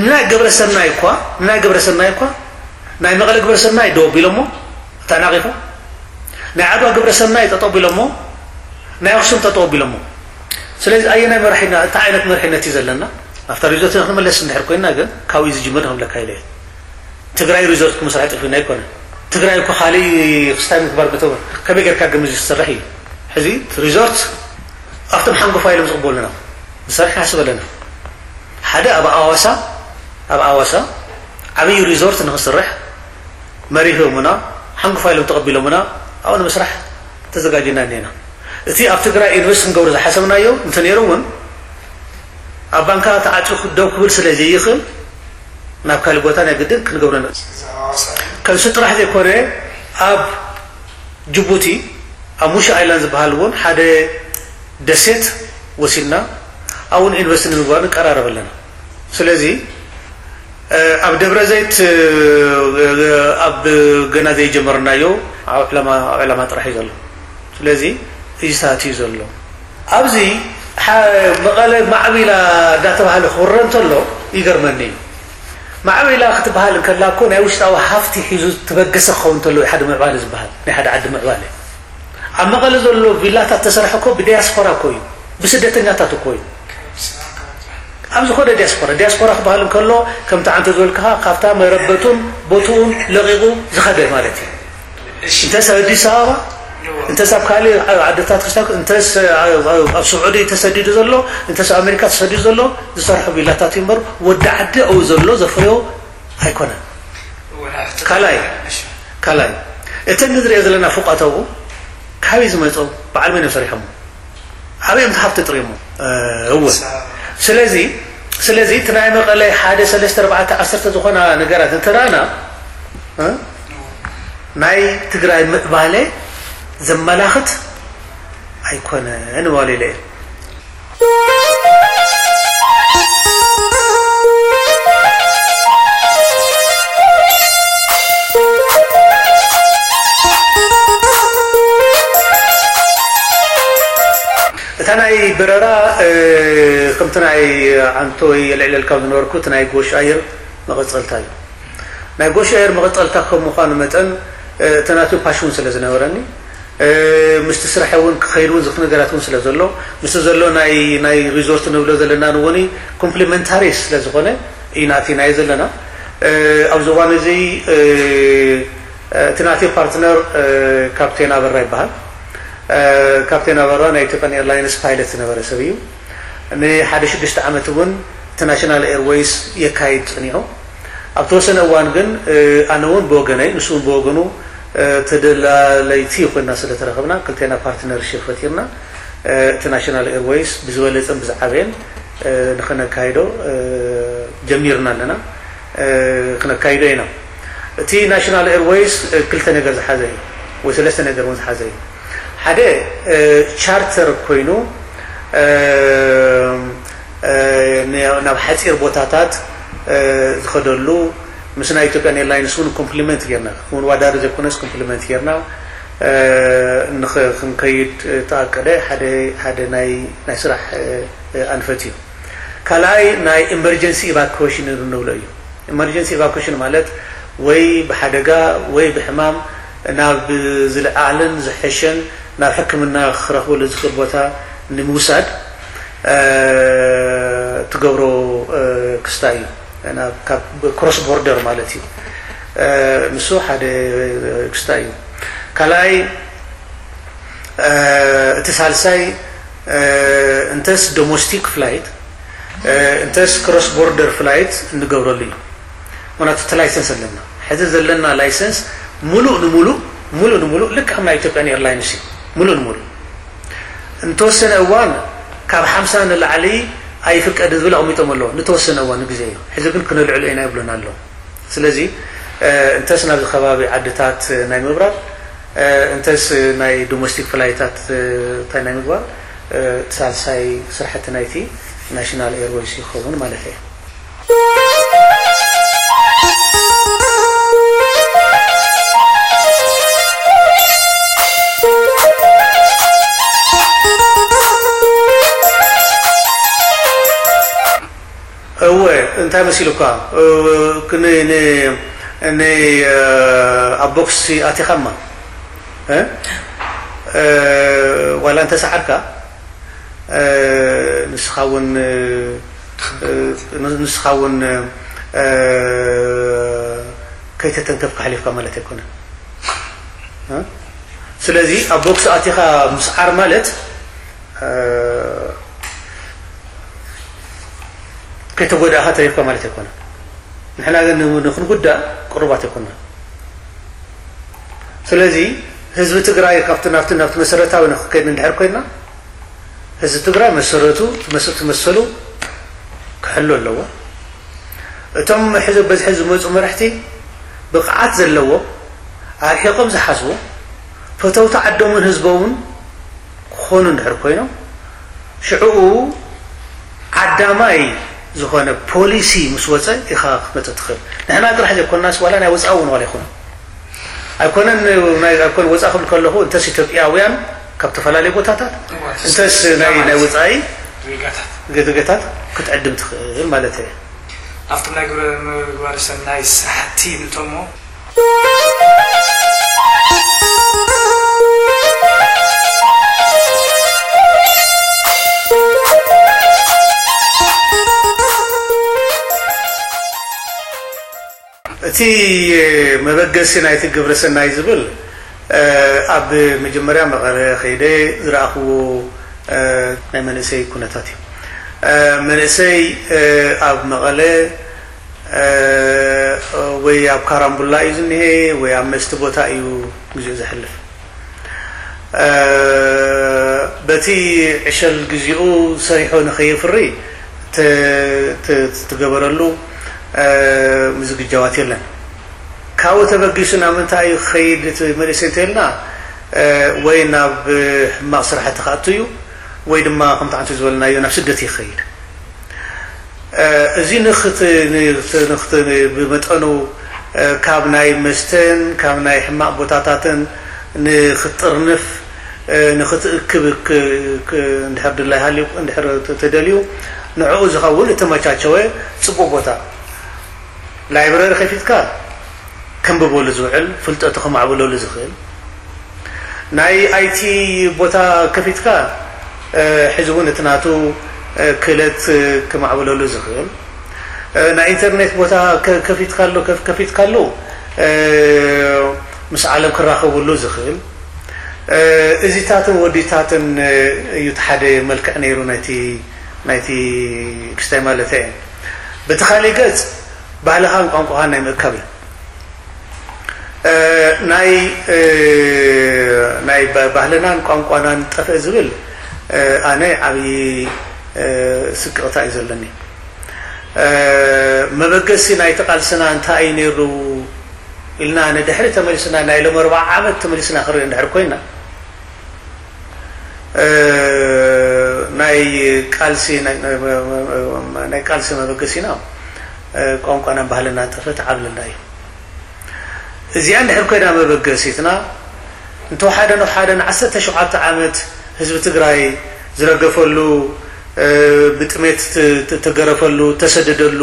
ንናይ ግብረ ሰናይ እኳ ንናይ ግብረ ሰናይ እኳ ናይ መቐለ ግብረ ሰናይ ደው ኣቢሎሞ ተናቒፎም ናይ ዓድዋ ግብረ ሰናይ ጠጠው ኣቢሎሞ ናይ ኣኽሱም ጠጠው ኣቢሎሞ ስለዚ ኣየናይ መራሒና እንታይ ዓይነት መርሒነት እዩ ዘለና ኣብታ ሪዞርት ክንመለስ እንድሕር ኮይና ግን ካብኡ ዝጅምር ክብለካ ኢለ ትግራይ ሪዞርት ክምስራሕ ጠፊኡና ኣይኮነን። ትግራይ እኮ ካልእ ክስታይ ምግባር ብተወ ከመይ ጌርካ ግምት ዝሰርሕ እዩ። ሕዚ ሪዞርት ኣብቶም ሓንጎፋ ኢሎም ዝቕበሉና ንሰርሕ ንሓስብ ኣለና። ሓደ ኣብ ኣዋሳ ኣብ ኣዋሳ ዓብዪ ሪዞርት ንክስርሕ መሪሖምና ሓንጎፋ ኢሎም ተቐቢሎምና ኣብኡ ንምስራሕ ተዘጋጅና እኒና። እቲ ኣብ ትግራይ ኢንቨስት ክንገብሮ ዝሓሰብናዮ እንተነይሩ እውን ኣብ ባንካ ተዓፂኹ ደው ክብል ስለ ዘይኽእል ናብ ካልእ ቦታ ናይ ግድን ክንገብሮ ንእል። ከምዚ ጥራሕ ዘይኮነ ኣብ ጅቡቲ ኣብ ሙሽ ኣይላንድ ዝበሃል እውን ሓደ ደሴት ወሲድና ኣብኡ ኢንቨስት ንምግባር ንቀራረብ ኣለና። ስለዚ ኣብ ደብረ ዘይት ኣብ ገና ዘይጀመርናዮ ኣብ ዕላማ ጥራሕ እዩ ዘሎ። ስለዚ እዩ ሳት እዩ ዘሎ ኣብዚ መቐለ ማዕቢላ እንዳተባሃለ ክውረ እንተሎ ይገርመኒ እዩ። ማዕቢላ ክትበሃል እንከላ እኮ ናይ ውሽጣዊ ሃፍቲ ሒዙ ትበገሰ ክኸውን እንተሎ ሓደ ምዕባለ ዝበሃል ናይ ሓደ ዓዲ ምዕባለ ኣብ መቐለ ዘሎ ቪላታት ተሰርሐ እኮ ብዲያስፖራ እኮ እዩ ብስደተኛታት እኮ እዩ ኣብ ዝኾነ ዲያስፖራ ዲያስፖራ ክበሃል እንከሎ ከምቲ ዓንተ ዝበልክኻ ካብታ መረበቱን ቦትኡን ለቒቑ ዝኸደ ማለት እዩ እንተስ ኣዲስ ኣበባ እንተስ ኣብ ካልእ ዓድታት ክስታ እንተስ ኣብ ስዑዲ ተሰዲዱ ዘሎ እንተስ ኣሜሪካ ተሰዲዱ ዘሎ ዝሰርሖ ቪላታት እዩ እምበር ወዲ ዓዲ ኣብኡ ዘሎ ዘፍርዮ ኣይኮነን። ካልኣይ ካልኣይ እተን ንዝሪኦ ዘለና ፎቃት ኣብኡ ካበይ ዝመፁ በዓል መን እዮም ሰሪሖሞ? ኣበይ እዮም ሃፍቲ ጥሪሞ? እወ ስለዚ ስለዚ እቲ ናይ መቐለ ሓደ ሰለስተ ኣርባዕተ ዓሰርተ ዝኾና ነገራት እንተረኣና ናይ ትግራይ ምዕባለ ዘመላኽት ኣይኮነን እዋል ኢለ እየ። እታ ናይ በረራ ከምቲ ናይ ዓንቶ የልዕለልካ ዝነበርኩ እቲ ናይ ጎሽ ኣየር መቐፀልታ እዩ። ናይ ጎሽ ኣየር መቐፀልታ ከም ምዃኑ መጠን እቲ ናቱ ፓሽን ስለ ዝነበረኒ ምስቲ ስራሕ እውን ክኸይድ እውን ዝኽእል ነገራት እውን ስለ ዘሎ ምስቲ ዘሎ ናይ ናይ ሪዞርት ንብሎ ዘለና ንወኒ ኮምፕሊመንታሪ ስለ ዝኾነ ኢና ኣቲናዮ ዘለና። ኣብዚ እዋን እዚ እቲ ናተይ ፓርትነር ካፕቴን ኣበራ ይበሃል። ካፕቴን ኣበራ ናይ ኢትዮጵያን ኤርላይንስ ፓይለት ዝነበረ ሰብ እዩ። ንሓደ ሽዱሽተ ዓመት እውን እቲ ናሽናል ኤርወይስ የካይድ ፀኒሑ። ኣብ ተወሰነ እዋን ግን ኣነ እውን ብወገነይ ንሱ እውን ብወገኑ ተደላለይቲ ኮይና ስለተረኸብና ክልቴና ፓርትነርሽፕ ፈጢርና እቲ ናሽናል ኤርወይስ ብዝበለፀን ብዝዓበየን ንኸነካይዶ ጀሚርና ኣለና፣ ክነካይዶ ኢና። እቲ ናሽናል ኤርወይስ ክልተ ነገር ዝሓዘ እዩ ወይ ሰለስተ ነገር እውን ዝሓዘ እዩ። ሓደ ቻርተር ኮይኑ ናብ ሓፂር ቦታታት ዝኸደሉ ምስ ናይ ኢትዮጵያን ኤርላይንስ እውን ኮምፕሊመንት ጌርና፣ ክወዳደር ዘይኮነስ ኮምፕሊመንት ጌርና ክንከይድ ተኣቀደ ሓደ ናይ ስራሕ ኣንፈት እዩ። ካልኣይ ናይ ኢመርጀንሲ ኢቫኩዌሽን እንብሎ እዩ። ኢመርጀንሲ ኢቫኩዌሽን ማለት ወይ ብሓደጋ ወይ ብሕማም ናብ ዝለዓለን ዝሐሸን ናብ ሕክምና ክረኽበሉ ዝኽእል ቦታ ንምውሳድ ትገብሮ ክስታ እዩ። ክሮስ ቦርደር ማለት እዩ። ንሱ ሓደ ክስታ እዩ። ካልኣይ እቲ ሳልሳይ እንተስ ዶሞስቲክ ፍላይት እንተስ ክሮስ ቦርደር ፍላይት እንገብረሉ እዩ። ምክንያቱ እቲ ላይሰንስ ኣለና። ሕዚ ዘለና ላይሰንስ ሙሉእ ንሙሉእ ሙሉእ ንሙሉእ ልክዕ ከም ናይ ኢትዮጵያን ኤርላይንስ እዩ። ሙሉእ ንሙሉእ እንተወሰነ እዋን ካብ ሓምሳ ንላዕሊ ኣይፍቀድ ዝብል ኣቕሚጦም ኣለዉ። ንተወሰነ እዋን ንግዜ እዩ። ሕዚ ግን ክነልዕሎ ኢና ይብሉና ኣለዉ። ስለዚ እንተስ ናብዚ ከባቢ ዓድታት ናይ ምብራር እንተስ ናይ ዶሜስቲክ ፍላይታት እንታይ ናይ ምግባር ሳልሳይ ስራሕቲ ናይቲ ናሽናል ኤርወይስ ይኸውን ማለት እየ። እወ እንታይ መሲሉካ? እ፣ ክን-፣ ን-፣ ን-፣ እ፣ ኣብ ቦክስ ኣቲኻማ እ? እ፣ ዋላ እንተሰዓርካ እ፣ ንስኻ እውን እ፣ እ፣ ንስኻ እውን እ፣ ከይተተንከፍካ ሓሊፍካ ማለት ኣይኮነን እ? ስለዚ ኣብ ቦክስ ኣቲኻ ምስዓር ማለት እ፣ ከይተጎዳእኻ ተሪፍካ ማለት ኣይኮነን። ንሕና ግን ን-፣ ንክንጉዳእ ቅሩባት ኣይኮንና። ስለዚ ህዝቢ ትግራይ ካብቲ ናብቲ ናብቲ መሰረታዊ ንክከይድ እንድሕር ኮይንና ህዝቢ ትግራይ መሰረቱ መሰ-፣ መሰሉ ክሕሉ ኣለዎ። እቶም ሕዚ በዝሒ ዝመፁ መራሕቲ ብቕዓት ዘለዎ ኣርሒቖም ዝሓስቡ ፈተውቲ ዓዶምን ህዝቦምን ክኾኑ እንድሕር ኮይኖም ሽዕኡ ዓዳማይ ዝኾነ ፖሊሲ ምስ ወፀ ኢኻ ክትመፅእ ትኽእል። ንሕና ጥራሕ ዘይኮንናስ ዋላ ናይ ወፃኢ እውን ዋላ ይኹን ኣይኮነን። ናይ ኣይኮነ ወፃኢ ክብል ከለኹ እንተስ ኢትዮጵያውያን ካብ ዝተፈላለዩ ቦታታት እንተስ ናይ ናይ ወፃኢ ዜጋታት ክትዕድም ትኽእል ማለት እየ። ኣብቶም ናይ ግብረ ምግባረ ሰናይ ስራሕቲ ንእቶሞ። እቲ መበገሲ ናይቲ ግብረ ሰናይ ዝብል ኣብ መጀመርያ መቐለ ከይደ ዝረኣኽዎ ናይ መንእሰይ ኩነታት እዩ። መንእሰይ ኣብ መቐለ ወይ ኣብ ካራምቡላ እዩ ዝኒሀ ወይ ኣብ መስቲ ቦታ እዩ ግዚኡ ዘሕልፍ። በቲ ዕሸል ግዚኡ ሰሪሑ ንኸየፍሪ ትገበረሉ ምዝግጃዋት የለን። ካብኡ ተበጊሱ ናብ ምንታይ እዩ ክኸይድ እቲ መንእሰይ እንተልና፣ ወይ ናብ ሕማቕ ስራሕቲ ክኣቱ እዩ፣ ወይ ድማ ከምቲ ዓንቱ ዝበልናዮ ናብ ስደት እዩ ክኸይድ። እዚ ብመጠኑ ካብ ናይ መስተን ካብ ናይ ሕማቕ ቦታታትን ንክትጥርንፍ ንክትእክብ እንድሕር ድላይ ሃልዩ እንድሕር ተደልዩ ንዕኡ ዝኸውን እተመቻቸወ ጽቡቕ ቦታ ላይብረሪ ከፊትካ ከንብበሉ ዝውዕል ፍልጠቱ ከማዕብለሉ ዝኽእል ናይ ኣይቲ ቦታ ከፊትካ ሕዚ እውን እቲ ናቱ ክእለት ክማዕብለሉ ዝኽእል ናይ ኢንተርኔት ቦታ ከፊትካሉ ከፊትካሉ ምስ ዓለም ክራኸብሉ ዝኽእል እዚታትን ወዲታትን እዩ ሓደ መልክዕ ነይሩ ናይቲ ክስታይ ማለት እየ። በቲ ካሊእ ገጽ ባህልኻን ቋንቋኻን ናይ ምእካብ እዩ። ናይ ናይ ባህልናን ቋንቋናን ጠፍእ ዝብል ኣነ ዓብዪ ስቅቕታ እዩ ዘለኒ። መበገሲ ናይቲ ቃልስና እንታይ እዩ ነይሩ ኢልና ንድሕሪ ተመሊስና ናይ ሎም ኣርባዓ ዓመት ተመሊስና ክርኢ እንድሕር ኮይና ናይ ቃልሲ ናይ ቃልሲ መበገሲና ቋንቋናን ባህልና ጠፈት ዓብልና እዩ። እዚኣ እንድሕር ኮይና መበገሲትና እንተወሓደ ንወሓደ ንዓሰርተ ሸውዓተ ዓመት ህዝቢ ትግራይ ዝረገፈሉ ብጥሜት ተገረፈሉ ተሰደደሉ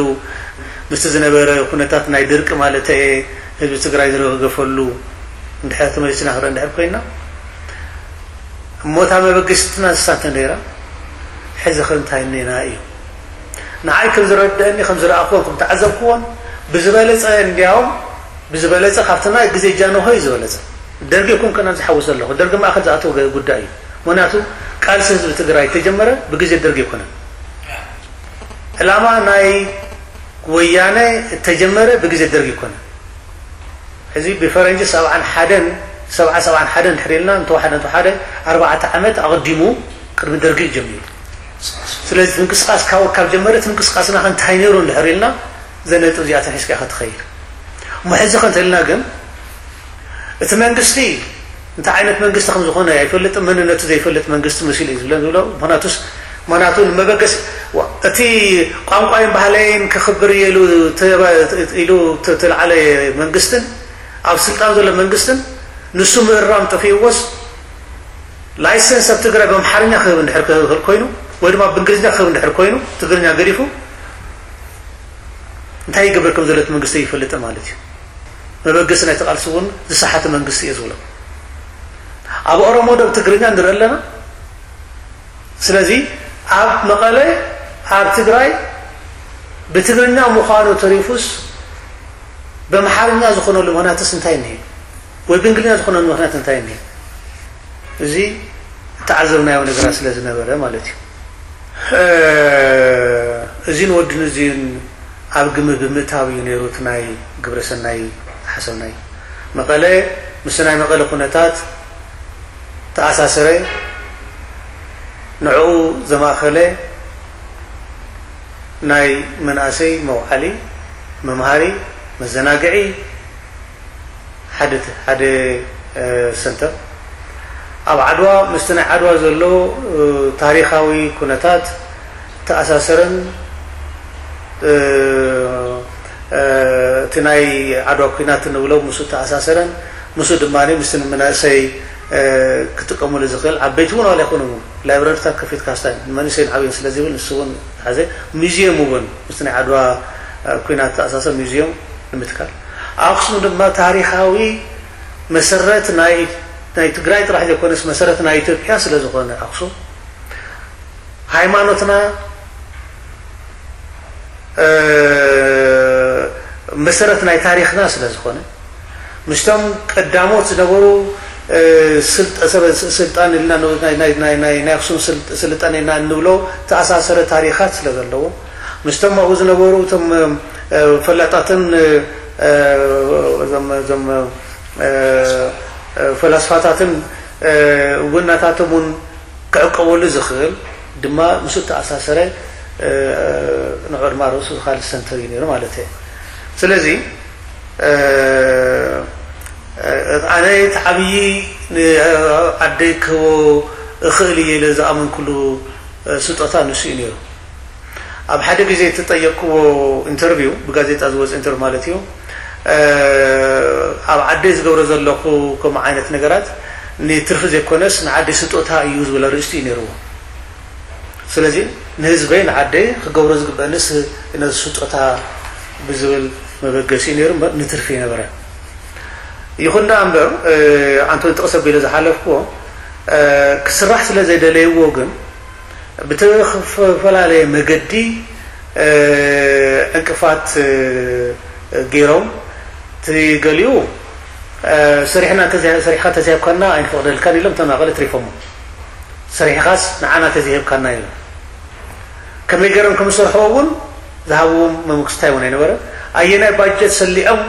ምስቲ ዝነበረ ኩነታት ናይ ድርቂ ማለት ህዝቢ ትግራይ ዝረገፈሉ እንድሕር ተመሊስና ክርኢ እንድሕር ኮይና እሞ እታ መበገሲትና ንሳ እንተ ነይራ ሕዚ ከ እንታይ እኒና እዩ። ንዓይ ከም ዝረድአኒ ከም ዝረኣኽዎን ከም ተዓዘብክዎን ብዝበለፀ እንዲያውም ብዝበለፀ ካብቲ ናይ ግዜ ጃንሆይ ዝበለፀ ደርጊ ይኩን ከና ዝሓውስ ዘለኹ ደርጊ ማእኸል ዝኣተወ ጉዳይ እዩ። ምክንያቱ ቃልሲ ህዝቢ ትግራይ ተጀመረ ብግዜ ደርጊ ኣይኮነን። ዕላማ ናይ ወያነ እተጀመረ ብግዜ ደርጊ ኣይኮነን። ሕዚ ብፈረንጂ ሰብዓን ሓደን ሰብዓ ሰብዓን ሓደን ድሕር ኢልና እንተወሓደ እንተወሓደ ኣርባዕተ ዓመት ኣቐዲሙ ቅድሚ ደርጊ እዩ ጀሚሩ። ስለዚ ምንቅስቃስ ካብ ካብ ጀመረ እቲ ምንቅስቃስና ከ እንታይ ነይሩ እንድሕር ኢልና ዘነጥብ እዚኣተን ሒዝካ ኢኻ ትኸይድ። እሞ ሕዚ ከ እንተልና ግን እቲ መንግስቲ እንታይ ዓይነት መንግስቲ ከም ዝኾነ ኣይፈልጥን፣ መንነቱ ዘይፈልጥ መንግስቲ መሲሉ እዩ ዝብለን ዝብሎ። ምክንያቱስ ምክንያቱ ንመበገሲ እቲ ቋንቋይን ባህለይን ክኽብር እየ ኢሉ ኢሉ ተልዓለ መንግስትን ኣብ ስልጣን ዘሎ መንግስትን ንሱ ምእራም ጠፊእዎስ ላይሰንስ ኣብ ትግራይ ብኣምሓርኛ ክህብ እንድሕር ክኽእል ኮይኑ ወይ ድማ ብእንግሊዝኛ ክህብ እንድሕር ኮይኑ ትግርኛ ገዲፉ እንታይ ይገብር ከም ዘሎ እቲ መንግስቲ ይፈልጥ ማለት እዩ። መበገሲ ናይቲ ቃልሲ እውን ዝሰሓተ መንግስቲ እየ ዝብሎ። ኣብ ኦሮሞ ዶ ብትግርኛ ንርኢ ኣለና። ስለዚ ኣብ መቐለ ኣብ ትግራይ ብትግርኛ ምዃኑ ተሪፉስ ብኣምሓርኛ ዝኾነሉ ምኽንያትስ እንታይ እኒሀ? ወይ ብእንግሊዝኛ ዝኾነሉ ምኽንያት እንታይ እኒሀ? እዚ እተዓዘብናዮ ነገራት ስለ ዝነበረ ማለት እዩ። እዚን ወድን እዚን ኣብ ግምት ብምእታው እዩ ነይሩ እቲ ናይ ግብረ ሰናይ ዝሓሰብናዮ። መቐለ ምስ ናይ መቐለ ኩነታት ተኣሳሰረ፣ ንዕኡ ዘማእኸለ ናይ መናእሰይ መውዓሊ፣ መምሃሪ፣ መዘናግዒ ሓደ ሓደ ሰንተር ኣብ ዓድዋ ምስቲ ናይ ዓድዋ ዘሎ ታሪኻዊ ኩነታት ተኣሳሰረን እቲ ናይ ዓድዋ ኩናት እንብሎ ምስኡ ተኣሳሰረን ምስኡ ድማ ምስቲ ንመናእሰይ ክጥቀሙሉ ዝኽእል ዓበይቲ እውን ዋላ ይኹኑ ላይብረሪታት ከፊትካ ስታይ ንመንእሰይን ዓብይን ስለ ዝብል ንሱ እውን ሓዘ ሙዚየም እውን ምስቲ ናይ ዓድዋ ኩናት ተኣሳሰር ሙዚየም ንምትካል ኣክሱም ድማ ታሪኻዊ መሰረት ናይ ናይ ትግራይ ጥራሕ ዘይኮነስ መሰረት ናይ ኢትዮጵያ ስለ ዝኾነ ኣክሱም ሃይማኖትና መሰረት ናይ ታሪኽና ስለ ዝኾነ ምስቶም ቀዳሞት ዝነበሩ ስልጣን ኢልና ናይ ኣክሱም ስልጣን ኢልና እንብሎ ተኣሳሰረ ታሪኻት ስለ ዘለዎ ምስቶም ኣብኡ ዝነበሩ እቶም ፈላጣትን እዞም ፈላስፋታትን እውን ናታቶም እውን ክዕቀበሉ ዝኽእል ድማ ምስ እተኣሳሰረ ንዑ ድማ ርእሱ ካልእ ሰንተር እዩ ነይሩ ማለት እየ። ስለዚ ኣነ እቲ ዓብዪ ዓደይ ክህቦ እኽእል እየ ኢለ ዝኣመንኩሉ ስጦታ ንሱ እዩ ነይሩ። ኣብ ሓደ ግዜ እተጠየቅክዎ ኢንተርቪው፣ ብጋዜጣ ዝወፀ ኢንተርቪው ማለት እዩ፣ ኣብ ዓደይ ዝገብሮ ዘለኹ ከምኡ ዓይነት ነገራት ንትርፊ ዘይኮነስ ንዓደይ ስጦታ እዩ ዝብል ኣርእስቲ እዩ ነይርዎ። ስለዚ ንህዝበይ ንዓደይ ክገብሮ ዝግበአንስ ነዚ ስጦታ ብዝብል መበገሲ እዩ ነይሩ እምበር ንትርፊ ይነበረ። ይኹን ደኣ እምበር ኣንቶኒ ጥቕስ ኣቢለ ዝሓለፍክዎ ክስራሕ ስለ ዘይደለይዎ ግን ብተፈላለየ መገዲ ዕንቅፋት ገይሮም እቲ ገሊኡ ሰሪሕና ሰሪሕካ ተዘይሃብካና ኣይንፈቕደልካን ኢሎም ተናቐለ ትሪፎሞ። ሰሪሕኻስ ንዓና ተዘይሃብካና ኢሎም ከመይ ገይሮም ከም ዝሰርሕዎ እውን ዝሃብዎም መምክስታይ እውን ኣይነበረ። ኣየናይ ባጀት ሰሊዖም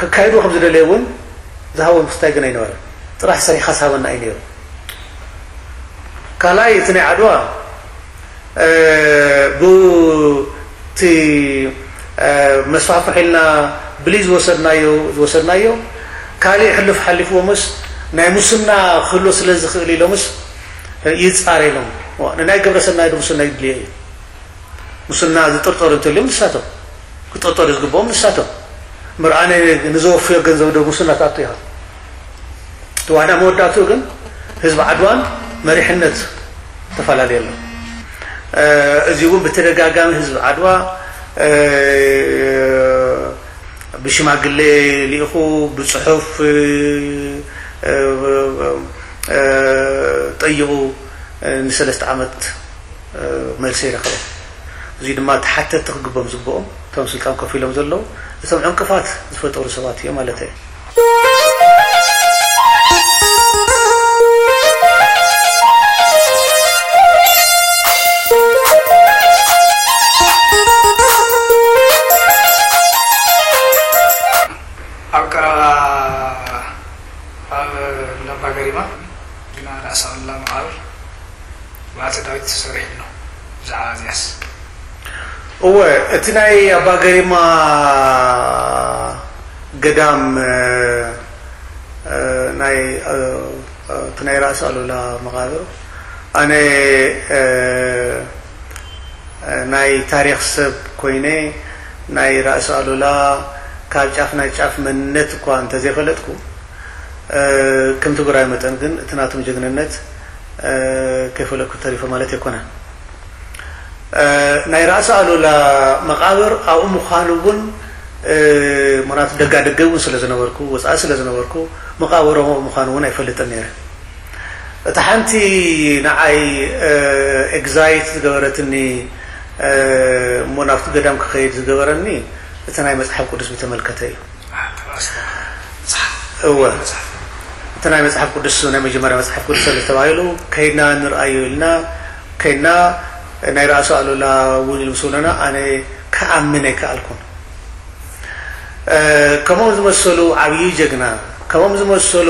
ከካይዱ ከም ዝደለየ እውን ዝሃብዎም ክስታይ ግን ኣይነበረ። ጥራሕ ሰሪሕኻስ ሃበና እዩ ነይሩ። ካልኣይ እቲ ናይ ዓድዋ ብቲ መስፋሕፍሕ ኢልና ብሊ ዝወሰድናዮ ዝወሰድናዮ ካልእ ሕሉፍ ሓሊፍዎምስ ናይ ሙስና ክህሎ ስለ ዝኽእል ኢሎምስ ይፃረ ኢሎም። ንናይ ግብረ ሰናይ ዶ ሙስና ይድልዮ እዩ? ሙስና ዝጥርጠሩ እንተልዮም ንሳቶም ክጥርጠሩ ዝግብኦም ንሳቶም ምርኣነ ንዘወፍዮ ገንዘብ ዶ ሙስና ትኣቱ ኢኻ? እቲ ዋና መወዳእትኡ ግን ህዝቢ ዓድዋን መሪሕነት ተፈላለየ ኣሎ። እዚ እውን ብተደጋጋሚ ህዝቢ ዓድዋ ብሽማግሌ ልኢኹ ብፅሑፍ ጠይቑ ንሰለስተ ዓመት መልሲ ይረኸበ። እዚ ድማ ተሓተቲ ክግቦም ዝግብኦም እቶም ስልጣን ኮፍ ኢሎም ዘለዉ እቶም ዕንቅፋት ዝፈጠሩ ሰባት እዮም ማለት እዩ። ኣብ ቀረባ ኣብ እንዳባ ገሪማ ግና ራእሲ ኣሉላ መቓብር ብኣፀዳዊት ተሰሪሑ ኣሎ። ብዛዕባ እዚኣስ? እወ፣ እቲ ናይ ኣባ ገሪማ ገዳም ናይ እቲ ናይ ራእሲ ኣሉላ መቓብር ኣነ ናይ ታሪኽ ሰብ ኮይነ ናይ ራእሲ ኣሉላ ካብ ጫፍ ናይ ጫፍ መንነት እኳ እንተዘይፈለጥኩ ከም ትግራይ መጠን ግን እቲ ናቶም ጀግንነት ከይፈለጥኩ ተሪፈ ማለት ኣይኮነን። ናይ ራእሲ ኣሉላ መቓብር ኣብኡ ምዃኑ እውን ምክንያቱ ደጋ ደገ እውን ስለ ዝነበርኩ ወፃኢ ስለ ዝነበርኩ መቓብሮም ኣብኡ ምዃኑ እውን ኣይፈልጥን ነይረ። እታ ሓንቲ ንዓይ ኤግዛይት ዝገበረትኒ እሞ ናብቲ ገዳም ክኸይድ ዝገበረኒ እቲ ናይ መፅሓፍ ቅዱስ ብተመልከተ እዩ። እወ እቲ ናይ መፅሓፍ ቅዱስ ናይ መጀመርያ መፅሓፍ ቅዱስ ስለ ተባሂሉ ከይድና ንርኣዮ ኢልና ከይድና ናይ ራእሲ ኣሉላ እውን ኢሉ ምስ በለና ኣነ ክኣምን ኣይከኣልኩን። ከምኦም ዝመሰሉ ዓብዪ ጀግና ከምኦም ዝመሰሉ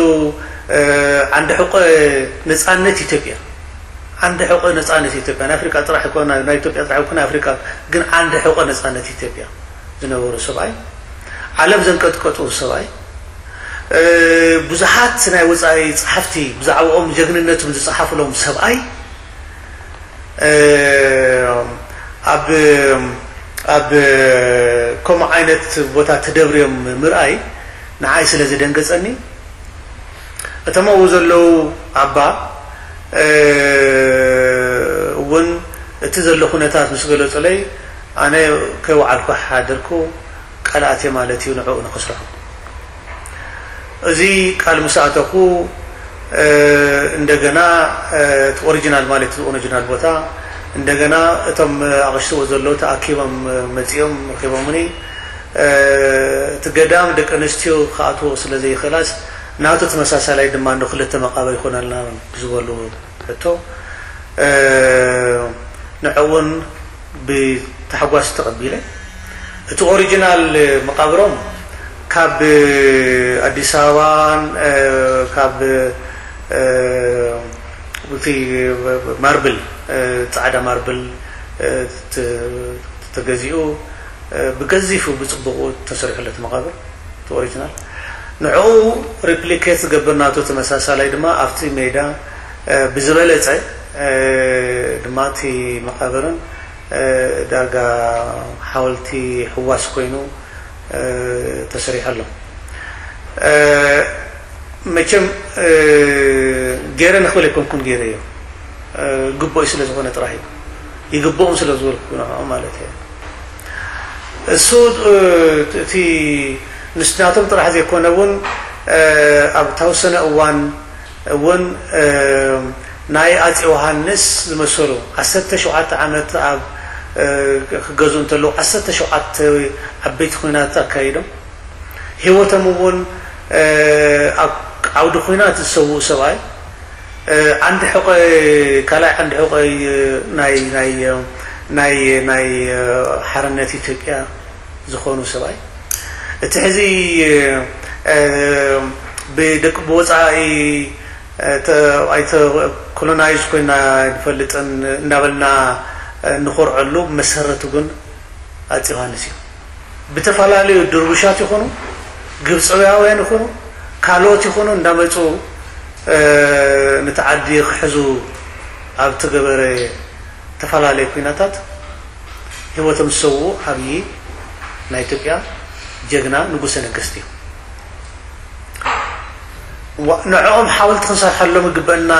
ዓንዲ ሕቆ ነፃነት ኢትዮጵያ ዓንዲ ሕቆ ነፃነት ኢትዮጵያ ናይ ኣፍሪቃ ጥራሕ እኮ ናይ ኢትዮጵያ ጥራሕ እኮ ናይ ኣፍሪቃ ግን ዓንዲ ሕቆ ነፃነት ኢትዮጵያ ዝነበሩ ሰብኣይ ዓለም ዘንቀጥቀጡ ሰብኣይ ብዙሓት ናይ ወፃኢ ፀሓፍቲ ብዛዕባኦም ጀግንነቶም ዝፀሓፍሎም ሰብኣይ ኣብ ኣብ ከምኡ ዓይነት ቦታ ተደብርዮም ምርኣይ ንዓይ ስለ ዘደንገፀኒ እቶም ኣብኡ ዘለዉ ኣባ እውን እቲ ዘሎ ኩነታት ምስ ገለፁለይ ኣነ ከይወዓልኩ ሓደርኩ ቃል ኣትየ ማለት እዩ ንዕኡ ንክስርሑ እዚ ቃል ምስ ኣተኹ እንደገና እቲ ኦሪጂናል ማለት እዚ ኦሪጂናል ቦታ እንደገና እቶም ኣቕሽትዎ ዘለዉ ተኣኪቦም መፂኦም ረኪቦምኒ እቲ ገዳም ደቂ ኣንስትዮ ክኣትዎ ስለ ዘይኽእላስ ናቱ ተመሳሳላይ ድማ እንዶ ክልተ መቓብር ይኾነልና ብዝበሉ ሕቶ፣ እ፣ ንዕኡ እውን ብታሕጓስ ተቐቢለ። እቲ ኦሪጂናል መቓብሮም ካብ ኣዲስ ኣበባን፣ እ፣ ካብ፣ እ፣ እቲ ማርብል፣ እ፣ ጻዕዳ ማርብል፣ እ፣ ተ-፣ ተገዚኡ፣ እ፣ ብገዚፉ ብጽቡቑ ተሰሪሑለት መቓብር። እቲ ኦሪጂናል ንዕኡ ሪፕሊኬት ዝገብር ናቱ ተመሳሳላይ ድማ ኣብቲ ሜዳ፣ እ፣ ብዝበለጸ፣ እ፣ ድማ እቲ መቓብርን፣ እ፣ ዳርጋ ሓወልቲ ሕዋስ ኮይኑ፣ እ፣ ተሰሪሑ ኣሎ። እ፣ መቸም፣ እ፣ ገይረ ንኽብል ኣይኮንኩን ገይረዮ። እ፣ ግቡእ ስለ ዝኾነ ጥራሕ እዩ። ይግብኦም ስለ ዝበልኩ ንዕኦም ማለት እየ። እሱ፣ እ፣ እቲ ንስናቶም ጥራሕ ዘይኮነ እውን፣ እ፣ ኣብ ተወሰነ እዋን እውን፣ እ፣ ናይ ኣጼ ዮሃንስ ዝመሰሉ ዓሰርተ ሸውዓተ ዓመት ኣብ፣ እ፣ ክገዝኡ እንተለዉ ዓሰርተ ሸውዓተ ዓበይቲ ኲናት ኣካይዶም። ህይወቶም እውን፣ እ፣ ኣብ ዓውዲ ኲናት ዝሰውኡ ሰብኣይ፣ እ፣ ዓንዲ ሕቆ፣ ካልኣይ ዓንዲ ሕቆ ናይ፣ ናይ፣ ናይ፣ ናይ ሓርነት ኢትዮጵያ ዝኾኑ ሰብኣይ፣ እቲ ሕዚ፣ እ፣ ብደቂ፣ ብወፃኢ፣ እ፣ ተ-፣ ኣይተ-፣ ኮሎናይዝ ኮይና ንፈልጥን እንዳበልና፣ እ፣ ንኾርዐሉ መሰረቱ ግን ኣፄ ዮሃንስ እዩ። ብተፈላለዩ ድርቡሻት ይኹኑ፣ ግብፃውያን ይኹኑ፣ ካልኦት ይኹኑ እንዳመፁ፣ እ፣ ነቲ ዓዲ ክሕዙ ኣብ ተገበረ ተፈላለየ ኲናታት ህይወቶም ዝሰውኡ ዓብዪ ናይ ኢትዮጵያ ጀግና ንጉሰ ነገስት እዩ። ዋ-፣ ንዕኦም ሓወልቲ ክንሰርሐሎም ይግበአና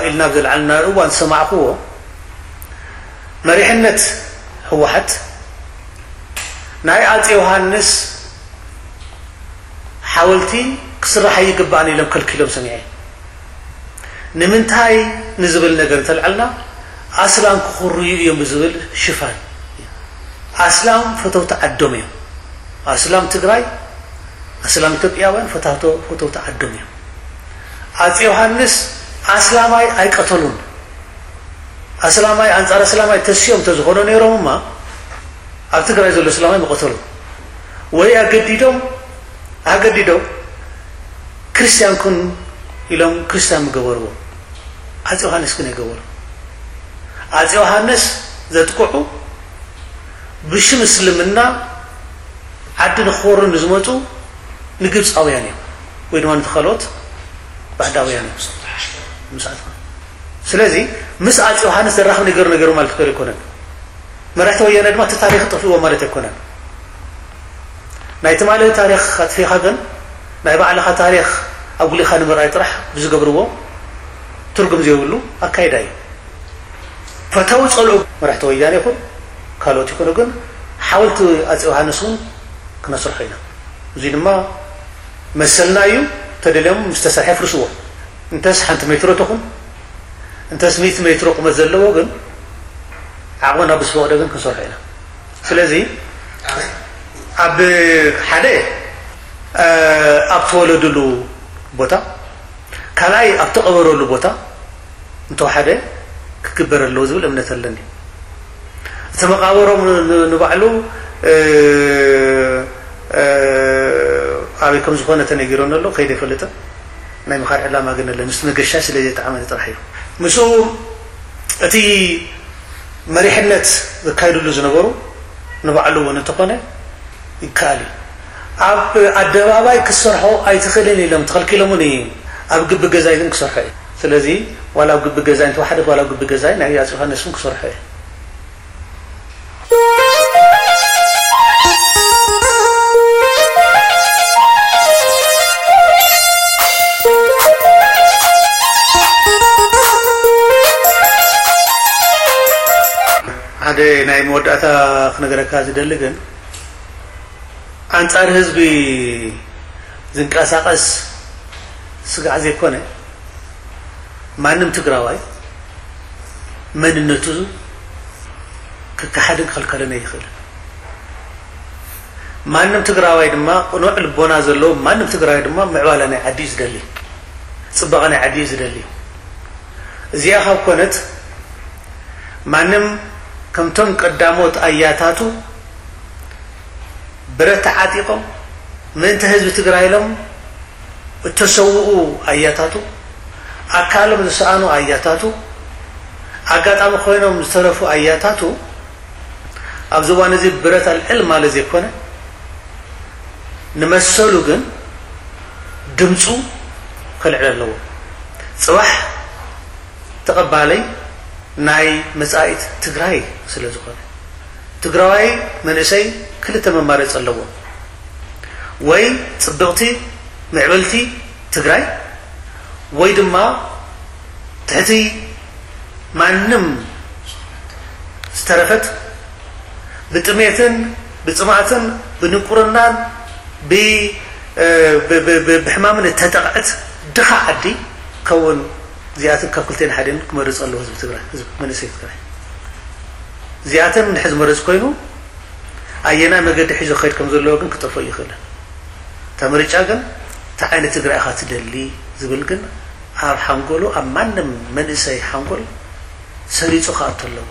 ኢልና ኣብ ዘልዓልና እዋን ዝሰማዕክዎ፣ መሪሕነት ህወሓት ናይ ኣጼ ዮሃንስ ሓወልቲ ክስራሕ ኣይግባእን ኢሎም ከልኪሎም ሰሚዐ። ንምንታይ ንዝብል ነገር እንተልዓልና፣ ኣስላም ክኹርዩ እዮም ብዝብል ሽፋን። ኣስላም ፈተውቲ ዓዶም እዮም። ኣስላም ትግራይ፣ ኣስላም ኢትዮጵያውያን ፈታቶ-፣ ፈተውቲ ዓዶም እዮም። ኣጼ ዮሃንስ ኣስላማይ ኣይቀተሉን። ኣስላማይ ኣንጻር ኣስላማይ ተስዮም እንተዝኾኑ ነይሮም እማ፣ ኣብ ትግራይ ዘሎ ኣስላማይ ምቐተሉ። ወይ ኣገዲዶም፣ ኣገዲዶም ክርስቲያን ኩን ኢሎም ክርስቲያን ምገበርዎ። ኣጼ ዮሃንስ ግን ኣይገበሩ። ኣጼ ዮሃንስ ዘጥቅዑ ብሽም እስልምና ዓዲ ንክወሩ ንዝመፁ ንግብፃውያን እዮም፣ ወይ ድማ ነቲ ካልኦት ባዕዳውያን እዮም። ምስ ኣጽ-፣ ስለዚ ምስ ኣጼ ዮሃንስ ዘራኽብ ነገር ነገሩ ማለት ገር ኣይኮነን። መራሕቲ ወያነ ድማ እቲ ታሪኽ ጠፍእዎ ማለት ኣይኮነን። ናይ ትማሊ ታሪኽ ኣጥፊኻ ግን ናይ ባዕልኻ ታሪኽ ኣጉሊኻ ንምርኣይ ጥራሕ ብዝገብርዎ ትርጉም ዘይብሉ ኣካይዳ እዩ። ፈተው ጸልኡ መራሕቲ ወያነ ይኹን ካልኦት ይኹኑ ግን ሓወልቲ ኣጼ ዮሃንስ እውን ክነስርሖ ኢና። እዚ ድማ መሰልና እዩ። ተደልዮም ምስ ተሰርሐ ፍርስዎ። እንተስ ሓንቲ ሜትሮ ትኹን፣ እንተስ ሚእቲ ሜትሮ ቁመት ዘለዎ ግን ዓቕምና ብዝፈቕዶ ግን ክንሰርሖ ኢና። ስለዚ ኣብ ሓደ፣ እ፣ ኣብ ተወለድሉ ቦታ፣ ካልኣይ ኣብ ተቐበረሉ ቦታ እንተወሓደ ክግበር ኣለዎ ዝብል እምነት ኣለኒ። እቲ መቓብሮም ን-፣ ን-፣ ንባዕሉ፣ እ፣ እ፣ ኣበይ ከም ዝኾነ ተነጊሮኒ ኣሎ፣ ከይደ ኣይፈልጥን። ናይ ምኻድ ዕላማ ግን ኣለኒ። ምስ መገሻ ስለ ዘየጠዓመኒ ጥራሕ እዩ። ምስኡ እቲ መሪሕነት ዘካይድሉ ዝነበሩ ንባዕሉ እውን እንተኾነ ይከኣል እዩ። ኣብ ኣደባባይ ክሰርሖ ኣይትኽእልን ኢሎም ተኸልኪሎምኒ፣ ኣብ ግቢ ገዛይ ግን ክሰርሖ እዩ። ስለዚ ዋላ ኣብ ግቢ ገዛይ እንተወሓደት፣ ዋላ ኣብ ግቢ ገዛይ ናይ ኣፄ ዮሃንስ እውን ክሰርሖ እዩ። ሓደ ናይ መወዳእታ ክነገረካ ዝደሊ ግን፣ ኣንጻር ህዝቢ ዝንቀሳቐስ ስጋዕ ዘይኮነ፣ ማንም ትግራዋይ መንነቱ ክከሓድን ክኽልከልን ኣይኽእልን። ማንም ትግራዋይ ድማ ቅኑዕ ልቦና ዘለዎ ማንም ትግራዋይ ድማ ምዕባለ ናይ ዓዲ እዩ ዝደሊ፣ ፅባቐ ናይ ዓዲ እዩ ዝደሊ። እዚኣ ካብ ኮነት ማንም ከምቶም ቀዳሞት ኣያታቱ ብረት ተዓጢቖም ምእንቲ ህዝቢ ትግራይ ኢሎም እተሰውኡ ኣያታቱ፣ ኣካሎም ዝሰኣኑ ኣያታቱ፣ ኣጋጣሚ ኮይኖም ዝተረፉ ኣያታቱ ኣብዚ እዋን እዚ ብረት ኣልዕል ማለት ዘይኮነ ንመሰሉ ግን ድምፁ ከልዕል ኣለዎ። ፅባሕ ተቐባለይ ናይ መጻኢት ትግራይ ስለ ዝኾነ ትግራዋይ መንእሰይ ክልተ መማረፂ ኣለዎ። ወይ ፅብቕቲ ምዕብልቲ ትግራይ ወይ ድማ ትሕቲ ማንም ዝተረፈት ብጥሜትን ብፅማእትን ብድንቁርናን ብ- ብ- ብ- ብ- ብሕማምን እተጠቕዐት ድኻ ዓዲ ከውን እዚኣትን ካብ ክልቴን ሓደን ክመርፅ ኣለዎ ህዝቢ ትግራይ፣ ህዝቢ መንእሰይ ትግራይ። እዚኣተን እንድሕር ዝመርፅ ኮይኑ ኣየና መገዲ ሒዞ ክኸይድ ከም ዘለዎ ግን ክጠፍኦ ይኽእልን። እታ ምርጫ ግን እንታይ ዓይነት ትግራይ ኢኻ ትደሊ ዝብል ግን ኣብ ሓንጎሉ ኣብ ማንም መንእሰይ ሓንጎል ሰሪፁ ክኣቱ ኣለዎ።